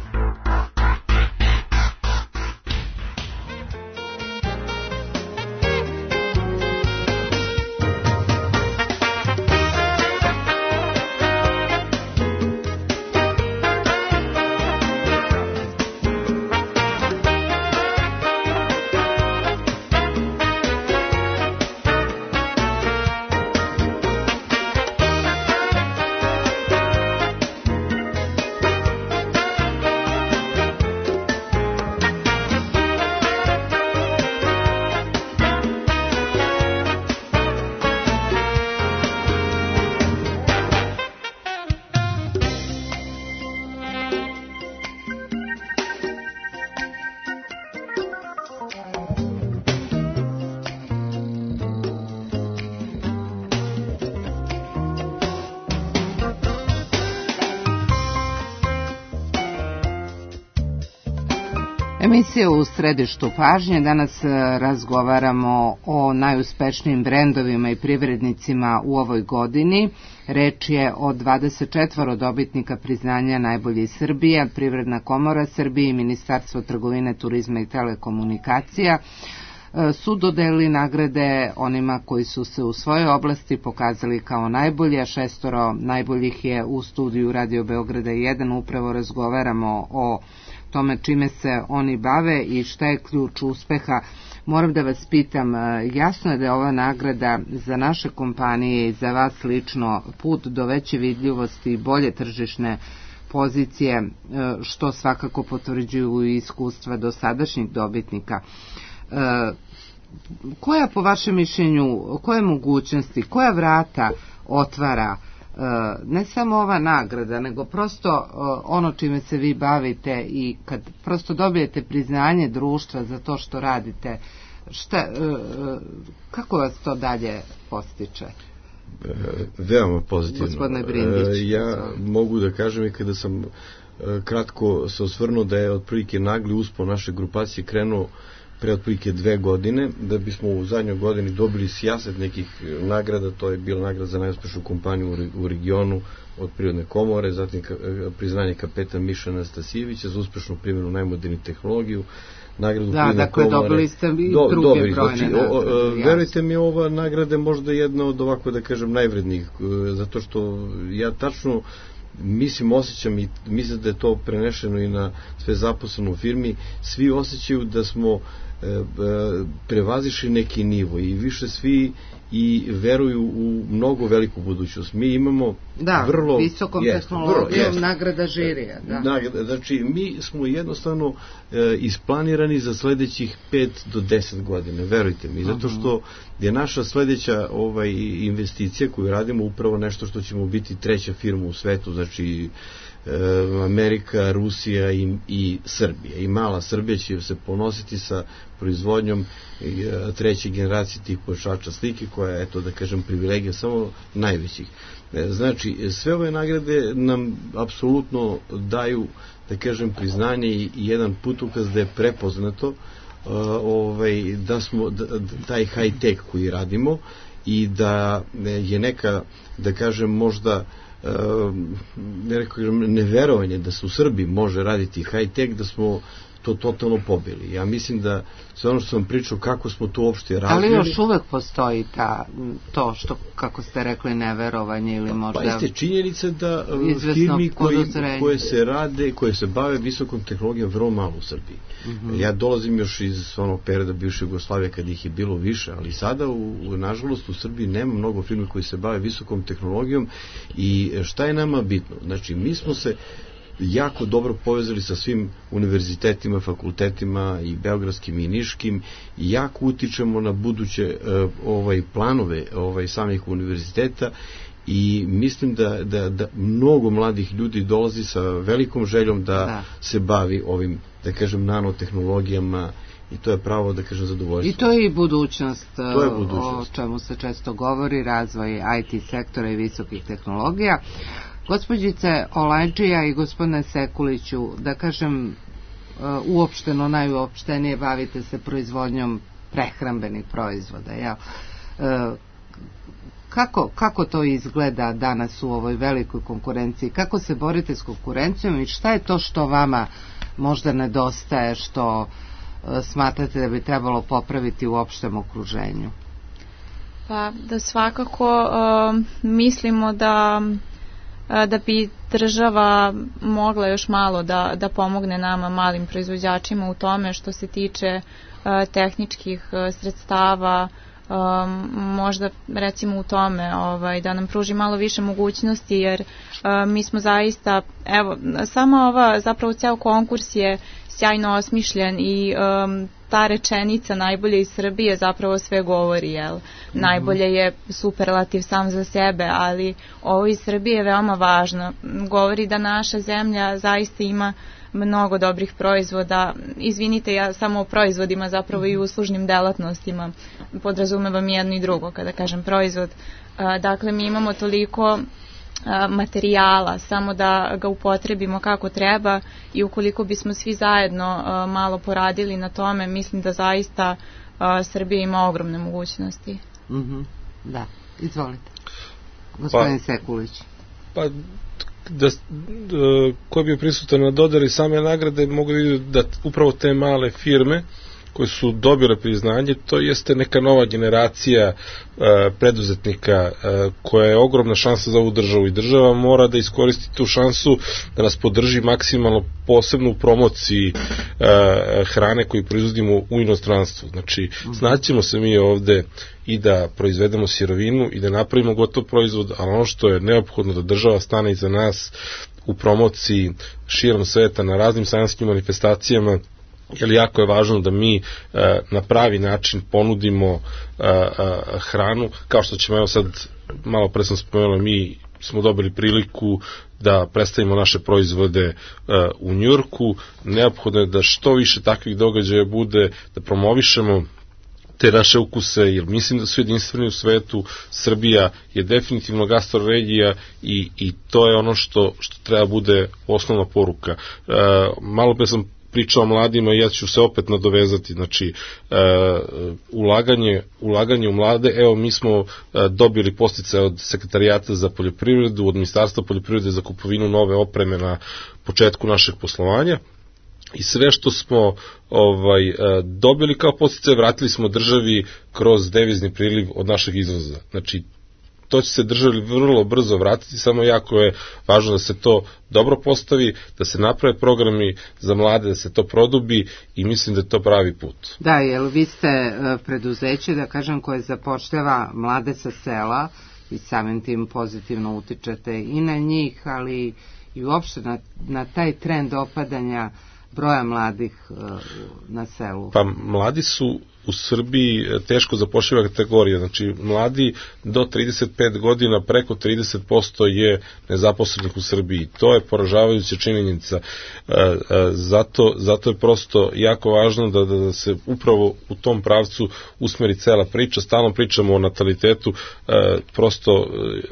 [SPEAKER 1] Emisija u središtu pažnje. Danas razgovaramo o najuspešnijim brendovima i privrednicima u ovoj godini. Reč je o 24 dobitnika priznanja Najbolji Srbija, Privredna komora Srbije i Ministarstvo trgovine, turizma i telekomunikacija su dodelili nagrade onima koji su se u svojoj oblasti pokazali kao najbolji, a 6 najboljih je u studiju Radio Beograda 1. Upravo razgovaramo o tome čime se oni bave i šta je ključ uspeha. Moram da vas pitam, jasno je da je ova nagrada za naše kompanije i za vas lično put do veće vidljivosti i bolje tržišne pozicije, što svakako potvrđuju i iskustva dosadašnjih dobitnika. Koja po vašem mišljenju, koje mogućnosti, koja vrata otvara ne samo ova nagrada, nego prosto ono čime se vi bavite i kad prosto dobijete priznanje društva za to što radite, kako vas to dalje postiče?
[SPEAKER 2] Veoma pozitivno.
[SPEAKER 1] Gospodine Brindić.
[SPEAKER 2] Ja mogu da kažem i kada sam kratko se osvrnuo da je otprilike nagli uspon naše grupacije krenuo pre otprilike 2 godine, da bismo u zadnjoj godini dobili sijaset nekih nagrada. To je bila nagrada za najuspešniju kompaniju u regionu od Privredne komore, zatim priznanje kapetan Miša Anastasijevića za uspešnu primjenu najmoderniju tehnologiju, nagradu Privredne komore.
[SPEAKER 1] Dobili ste i druge brojne.
[SPEAKER 2] Verujte mi, ova nagrada je možda jedna od, ovako da kažem, najvrednijih, zato što ja tačno osjećam i mislim da je to prenešeno i na sve zaposlene u firmi. Svi osjećaju da smo prevazišli neki nivo i više svi i veruju u mnogo veliku budućnost. Mi imamo vrlo
[SPEAKER 1] visokom tehnologijom nagrada žirija.
[SPEAKER 2] Znači, mi smo jednostavno isplanirani za sledećih 5 do 10 godina, verujte mi, zato što je naša sledeća investicija koju radimo upravo nešto što ćemo biti 3. firma u svetu, znači Amerika, Rusija i Srbija. I mala Srbija će se ponositi sa proizvodnjom 3. generacije tih pojačača slike, koja je, eto da kažem, privilegija samo najvećih. Znači, sve ove nagrade nam apsolutno daju, da kažem, priznanje i jedan putokaz da je prepoznato da smo taj high tech koji radimo i da je neka, da kažem, možda neverovanje da se u Srbiji može raditi high tech, da smo to totalno pobili. Ja mislim da sve ono što sam pričao kako smo to uopšte razvili.
[SPEAKER 1] Ali još uvek postoji to što, kako ste rekli, neverovanje ili možda...
[SPEAKER 2] Pa jeste činjenica da firmi koje se rade, koje se bave visokom tehnologijom vrlo malo u Srbiji. Ja dolazim još iz onog perioda bivše Jugoslavije kad ih je bilo više, ali sada nažalost u Srbiji nema mnogo firmi koji se bave visokom tehnologijom. I šta je nama bitno? Znači, mi smo se jako dobro povezali sa svim univerzitetima, fakultetima i beogradskim i niškim i jako utičemo na buduće planove samih univerziteta i mislim da mnogo mladih ljudi dolazi sa velikom željom da se bavi ovim, da kažem, nanotehnologijama i to je pravo, da kažem, zadovoljstvo.
[SPEAKER 1] I to je i budućnost, o čemu se često govori, razvoj IT sektora i visokih tehnologija. Gospođice Olajđija i gospodine Sekuliću, da kažem, uopšteno, najuopštenije bavite se proizvodnjom prehrambenih proizvoda, jel? Kako to izgleda danas u ovoj velikoj konkurenciji? Kako se borite s konkurencijom i šta je to što vama možda nedostaje, što smatrate da bi trebalo popraviti u opštem okruženju?
[SPEAKER 4] Pa da svakako mislimo da bi država mogla još malo da pomogne nama malim proizvođačima u tome što se tiče tehničkih sredstava, možda recimo u tome da nam pruži malo više mogućnosti, jer mi smo zaista, evo, sama zapravo ceo konkurs je sjajno osmišljen i ta rečenica najbolje iz Srbije zapravo sve govori, jel? Najbolje je superlativ sam za sebe, ali ovo iz Srbije je veoma važno. Govori da naša zemlja zaista ima mnogo dobrih proizvoda. Izvinite, ja samo o proizvodima, zapravo i uslužnim delatnostima podrazumevam jedno i drugo kada kažem proizvod. Dakle, mi imamo toliko materijala, samo da ga upotrebimo kako treba i ukoliko bismo svi zajedno malo poradili na tome, mislim da zaista Srbija ima ogromne mogućnosti.
[SPEAKER 1] Da, izvolite. Gospodin Sekulić.
[SPEAKER 5] Pa, ko je bio prisutan na dodari same nagrade, mogu da vidim da upravo te male firme koje su dobile priznanje, to jeste neka nova generacija preduzetnika koja je ogromna šansa za ovu državu i država mora da iskoristi tu šansu da nas podrži maksimalno, posebno u promociji hrane koju proizvodimo u inostranstvu. Znači, snaćemo se mi ovde i da proizvedemo sirovinu i da napravimo gotov proizvod, ali ono što je neophodno da država stane iza nas u promociji širom sveta na raznim sajenskim manifestacijama, jer jako je važno da mi na pravi način ponudimo hranu, kao što ćemo, evo sad, malo pre sam spomenuo, mi smo dobili priliku da predstavimo naše proizvode u Njujorku, neophodno je da što više takvih događaja bude, da promovišemo te naše ukuse, jer mislim da su jedinstveni u svetu. Srbija je definitivno gastroregija i to je ono što treba bude osnovna poruka. Malo pre sam pričao o mladima i ja ću se opet nadovezati, znači ulaganje u mlade, evo mi smo dobili podsticaje od Sekretarijata za poljoprivredu, od Ministarstva poljoprivrede za kupovinu nove opreme na početku našeg poslovanja i sve što smo dobili kao podsticaje vratili smo državi kroz devizni priliv od našeg izvoza. Znači to će se državi vrlo brzo vratiti, samo jako je važno da se to dobro postavi, da se naprave programi za mlade, da se to produbi i mislim da je to pravi put.
[SPEAKER 1] Da, jer vi ste preduzeće, da kažem, koje zapošljava mlade sa sela i samim tim pozitivno utičete i na njih, ali i uopšte na taj trend opadanja broja mladih na selu.
[SPEAKER 5] Pa mladi su u Srbiji teško zapošljiva kategorija, znači mladi do 35 godina preko 30% je nezaposlenih u Srbiji. To je poražavajuća činjenica. Zato je prosto jako važno da se upravo u tom pravcu usmeri cela priča. Stalno pričamo o natalitetu, prosto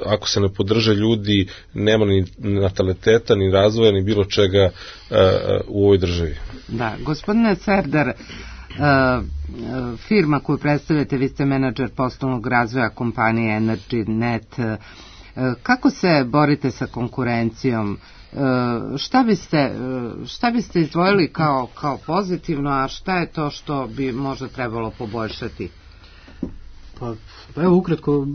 [SPEAKER 5] ako se ne podrže ljudi, nema ni nataliteta, ni razvoja, ni bilo čega u ovoj državi.
[SPEAKER 1] Da, gospodine Serdar, firma koju predstavljate, vi ste menadžer poslovnog razvoja kompanije EnergyNet. Kako se borite sa konkurencijom? Šta biste izdvojili kao pozitivno, a šta je to što bi možda trebalo poboljšati?
[SPEAKER 6] Pa evo ukratko,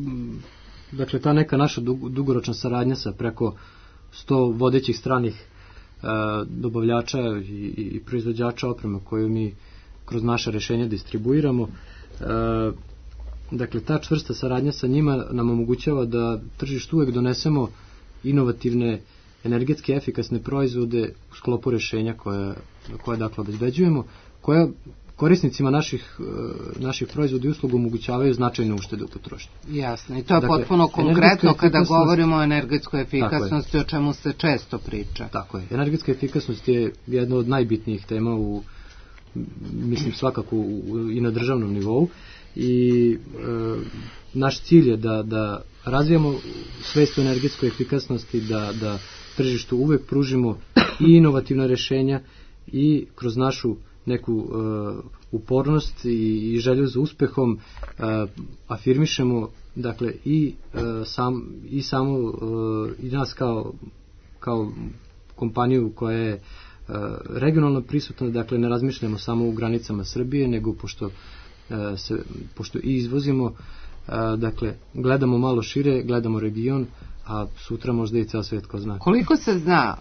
[SPEAKER 6] dakle ta neka naša dugoročna saradnja sa preko 100 vodećih stranih dobavljača i proizvođača opreme koju mi kroz naše rešenja distribuiramo. Dakle, ta čvrsta saradnja sa njima nam omogućava da tržištu uvek donesemo inovativne, energetski efikasne proizvode u sklopu rešenja koje dakle obezbeđujemo, koja korisnicima naših proizvoda i usluga omogućavaju značajne uštede u potrošnji.
[SPEAKER 1] Jasno, i to je potpuno konkretno kada govorimo o energetskoj efikasnosti, o čemu se često priča.
[SPEAKER 6] Tako je. Energetska efikasnost je jedna od najbitnijih tema mislim svakako i na državnom nivou i naš cilj je da razvijamo svest o energetskoj efikasnosti, da tržištu uvek pružimo i inovativna rešenja i kroz našu neku upornost i želju za uspehom afirmišemo dakle i nas kao kompaniju koja je regionalno prisutna, dakle ne razmišljamo samo u granicama Srbije, nego pošto i izvozimo, dakle gledamo malo šire, gledamo region, a sutra možda i ceo svet ko zna.
[SPEAKER 1] Koliko se zna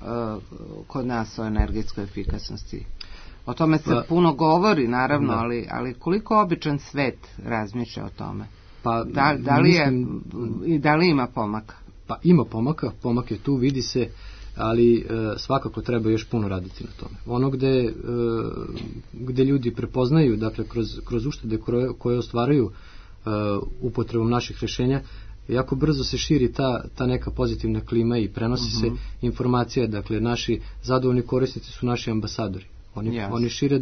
[SPEAKER 1] kod nas o energetskoj efikasnosti? O tome se puno govori, naravno, ali koliko običan svet razmišlja o tome? Da li ima pomaka?
[SPEAKER 6] Pa ima pomaka, pomak je tu, vidi se, ali svakako treba još puno raditi na tome. Ono gde ljudi prepoznaju, dakle kroz uštede koje ostvaraju upotrebom naših rešenja, jako brzo se širi ta neka pozitivna klima i prenosi se informacija, dakle naši zadovoljni korisnici su naši ambasadori. Oni šire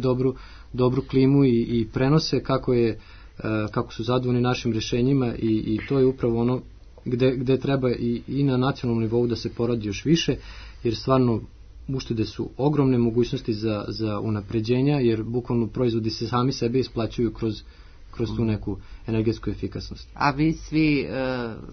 [SPEAKER 6] dobru klimu i prenose kako su zadovoljni našim rešenjima i to je upravo ono gde treba i na nacionalnom nivou da se poradi još više, jer stvarno uštede su ogromne mogućnosti za unapređenja, jer bukvalno proizvodi se sami sebe isplaćuju kroz tu neku energetsku efikasnost.
[SPEAKER 1] A vi svi,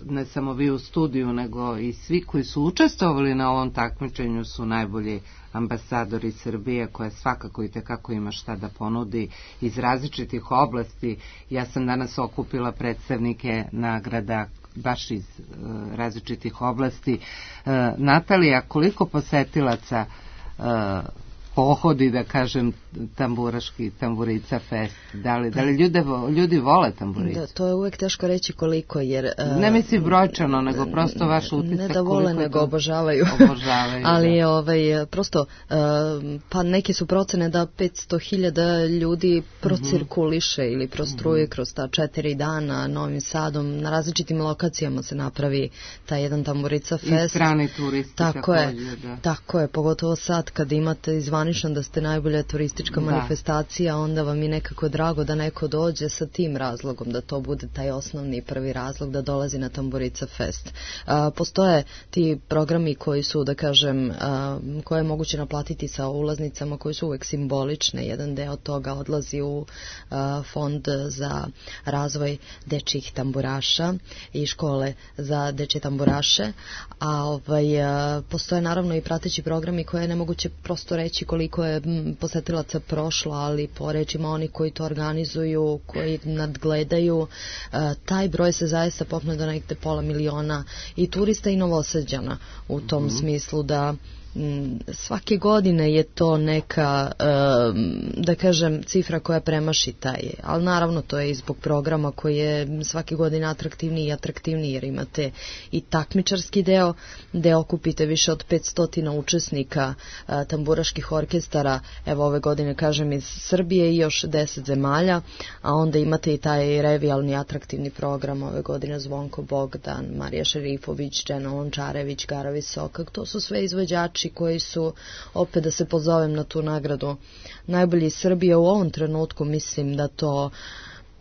[SPEAKER 1] ne samo vi u studiju, nego i svi koji su učestvovali na ovom takmičenju su najbolji ambasadori Srbije, koja svakako i tekako ima šta da ponudi iz različitih oblasti. Ja sam danas okupila predstavnike nagrada baš iz različitih oblasti. Natalija, koliko posetilaca pohodi, da kažem, Tamburica Fest? Da li ljudi vole Tamburicu?
[SPEAKER 8] Da, to je uvek teško reći koliko, jer...
[SPEAKER 1] Ne mislim brojčano, nego prosto vaš utisak.
[SPEAKER 8] Ne da vole, nego obožavaju. Ali prosto, pa neke su procene da 500.000 ljudi procirkuliše ili prostruje kroz ta 4 dana Novim Sadom. Na različitim lokacijama se napravi taj jedan Tamburica Fest.
[SPEAKER 1] I strani turisti.
[SPEAKER 8] Tako je, pogotovo sad kad imate izvanično da ste najbolja turistička manifestacija, onda vam je nekako drago da neko dođe sa tim razlogom, da to bude taj osnovni prvi razlog da dolazi na Tamburica Fest. Postoje ti programi koji su, da kažem, koje je moguće naplatiti sa ulaznicama, koji su uvek simbolične. Jedan deo toga odlazi u fond za razvoj dečjih tamburaša i škole za dečje tamburaše, a postoje naravno i prateći programi koje je nemoguće prosto reći koliko je posetilaca prošlo, ali po rečima oni koji to organizuju, koji nadgledaju, taj broj se zaista popne do nekde 500.000 i turista i Novosađana u tom smislu da svake godine je to neka, da kažem, cifra koja premaši taj, ali naravno to je i zbog programa koji je svake godine atraktivniji i atraktivniji, jer imate i takmičarski deo, gde okupite više od 500 učesnika tamburaških orkestara, evo ove godine kažem iz Srbije i još 10 zemalja, a onda imate i taj revijalni atraktivni program ove godine Zvonko Bogdan, Marija Šerifović, Džena Lončarević, Gara Visokak, to su sve izvođači koji su, opet da se pozovem na tu nagradu, najbolji iz Srbije u ovom trenutku. Mislim da to,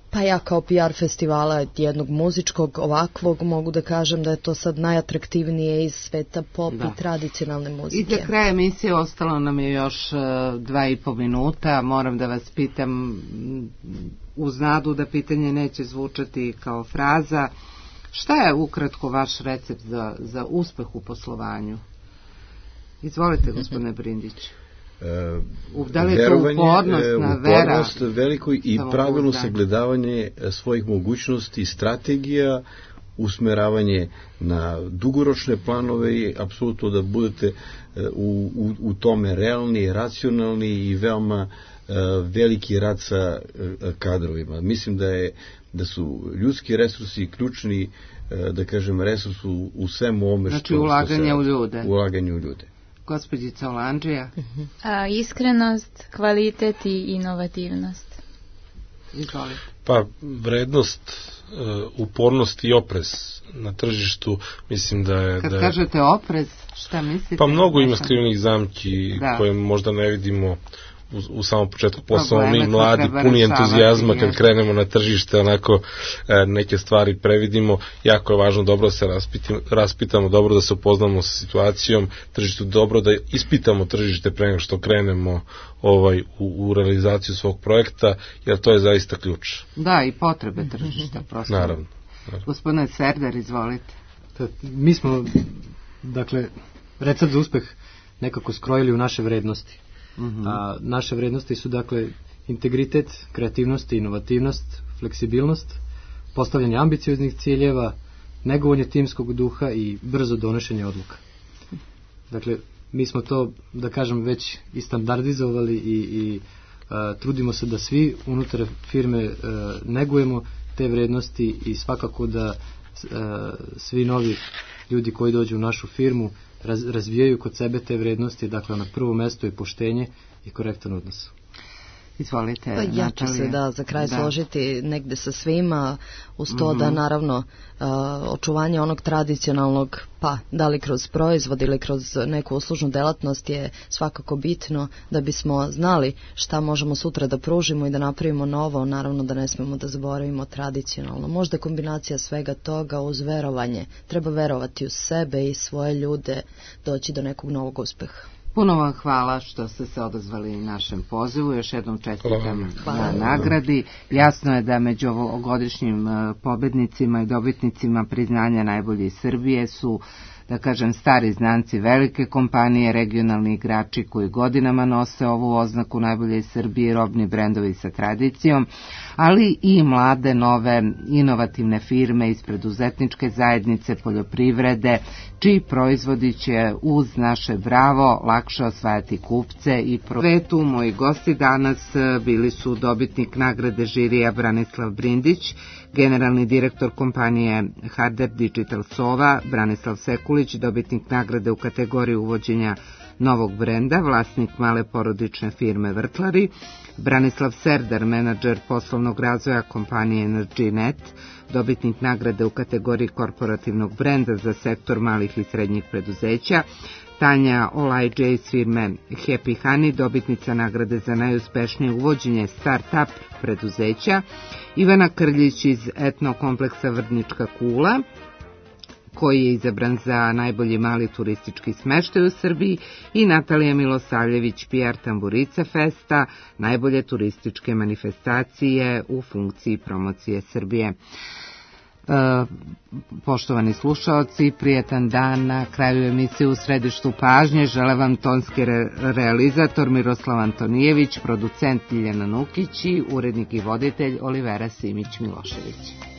[SPEAKER 8] pa ja kao PR festivala jednog muzičkog ovakvog mogu da kažem da je to sad najatraktivnije iz sveta pop i tradicionalne muzike.
[SPEAKER 1] I za kraj emisije ostalo nam je još 2,5 minuta. Moram da vas pitam, uz nadu da pitanje neće zvučati kao fraza, šta je ukratko vaš recept za uspeh u poslovanju? Izvolite, gospodine Brindić. Da li je to upornost, vera?
[SPEAKER 2] Veliko i pravilno sagledavanje svojih mogućnosti i strategija, usmeravanje na dugoročne planove i apsolutno da budete u tome realni, racionalni i veoma veliki rad sa kadrovima. Mislim da su ljudski resursi ključni, da kažem, resurs u svemu ovome što...
[SPEAKER 1] Znači ulaganje u ljude.
[SPEAKER 2] Ulaganje u ljude.
[SPEAKER 1] Gospođica Olandžija?
[SPEAKER 4] Iskrenost, kvalitet i inovativnost.
[SPEAKER 1] Izvolite.
[SPEAKER 5] Pa vrednost, upornost i oprez na tržištu, mislim da je...
[SPEAKER 1] Kad kažete oprez, šta mislite?
[SPEAKER 5] Pa mnogo ima skrivenih zamki koje možda ne vidimo u samom početku posla, mi mladi, puni entuzijazma kad krenemo na tržište, onako neke stvari previdimo. Jako je važno dobro da se raspitamo, dobro da se upoznamo sa situacijom tržištu, dobro da ispitamo tržište pre nego što krenemo u realizaciju svog projekta, jer to je zaista ključ.
[SPEAKER 1] Da, i potrebe tržišta prosto.
[SPEAKER 5] Naravno.
[SPEAKER 1] Gospodine Serdar, izvolite.
[SPEAKER 6] Mi smo, dakle, recept za uspeh nekako skrojili u naše vrednosti. A naše vrednosti su, dakle, integritet, kreativnost, inovativnost, fleksibilnost, postavljanje ambicioznih ciljeva, negovanje timskog duha i brzo donošenje odluka. Dakle, mi smo to, da kažem, već i standardizovali i trudimo se da svi unutar firme negujemo te vrednosti i svakako da svi novi ljudi koji dođu u našu firmu razvijaju kod sebe te vrednosti, dakle na prvo mesto je poštenje i korektan odnos.
[SPEAKER 1] Izvolite,
[SPEAKER 8] Ja ću se za kraj složiti negde sa svima, uz to da naravno očuvanje onog tradicionalnog, pa da li kroz proizvod ili kroz neku uslužnu delatnost je svakako bitno da bismo znali šta možemo sutra da pružimo i da napravimo novo, naravno da ne smemo da zaboravimo tradicionalno. Možda kombinacija svega toga uz verovanje. Treba verovati u sebe i svoje ljude, doći do nekog novog uspeha.
[SPEAKER 1] Puno vam hvala što ste se odazvali našem pozivu. Još jednom čestitam na nagradi. Jasno je da među ovogodišnjim pobednicima i dobitnicima priznanja najbolji Srbije su, da kažem, stari znanci velike kompanije, regionalni igrači koji godinama nose ovu oznaku najbolje iz Srbije, robni brendovi sa tradicijom, ali i mlade, nove, inovativne firme iz preduzetničke zajednice, poljoprivrede, čiji proizvodi će uz naše bravo lakše osvajati kupce i svetu. Moji gosti danas bili su dobitnik nagrade žirija Branislav Brindić, generalni direktor kompanije Harder Digital Sova Branislav Sekulić, dobitnik nagrade u kategoriji uvođenja novog brenda, vlasnik male porodične firme Vrtlari, Branislav Serdar, menadžer poslovnog razvoja kompanije EnergyNet, dobitnik nagrade u kategoriji korporativnog brenda za sektor malih i srednjih preduzeća, Tanja Olajđe iz firme Happy Honey, dobitnica nagrade za najuspešnije uvođenje start-up preduzeća, Ivana Krljić iz etno kompleksa Vrdnička kula, koji je izabran za najbolji mali turistički smeštaj u Srbiji, i Natalija Milosavljević, PR Tamburica Festa, najbolje turističke manifestacije u funkciji promocije Srbije. Poštovani slušaoci, prijetan dan. Na kraju emisije U središtu pažnje žele vam tonski realizator Miroslav Antonijević, producent Ljiljana Nukić i urednik i voditelj Olivera Simić Milošević.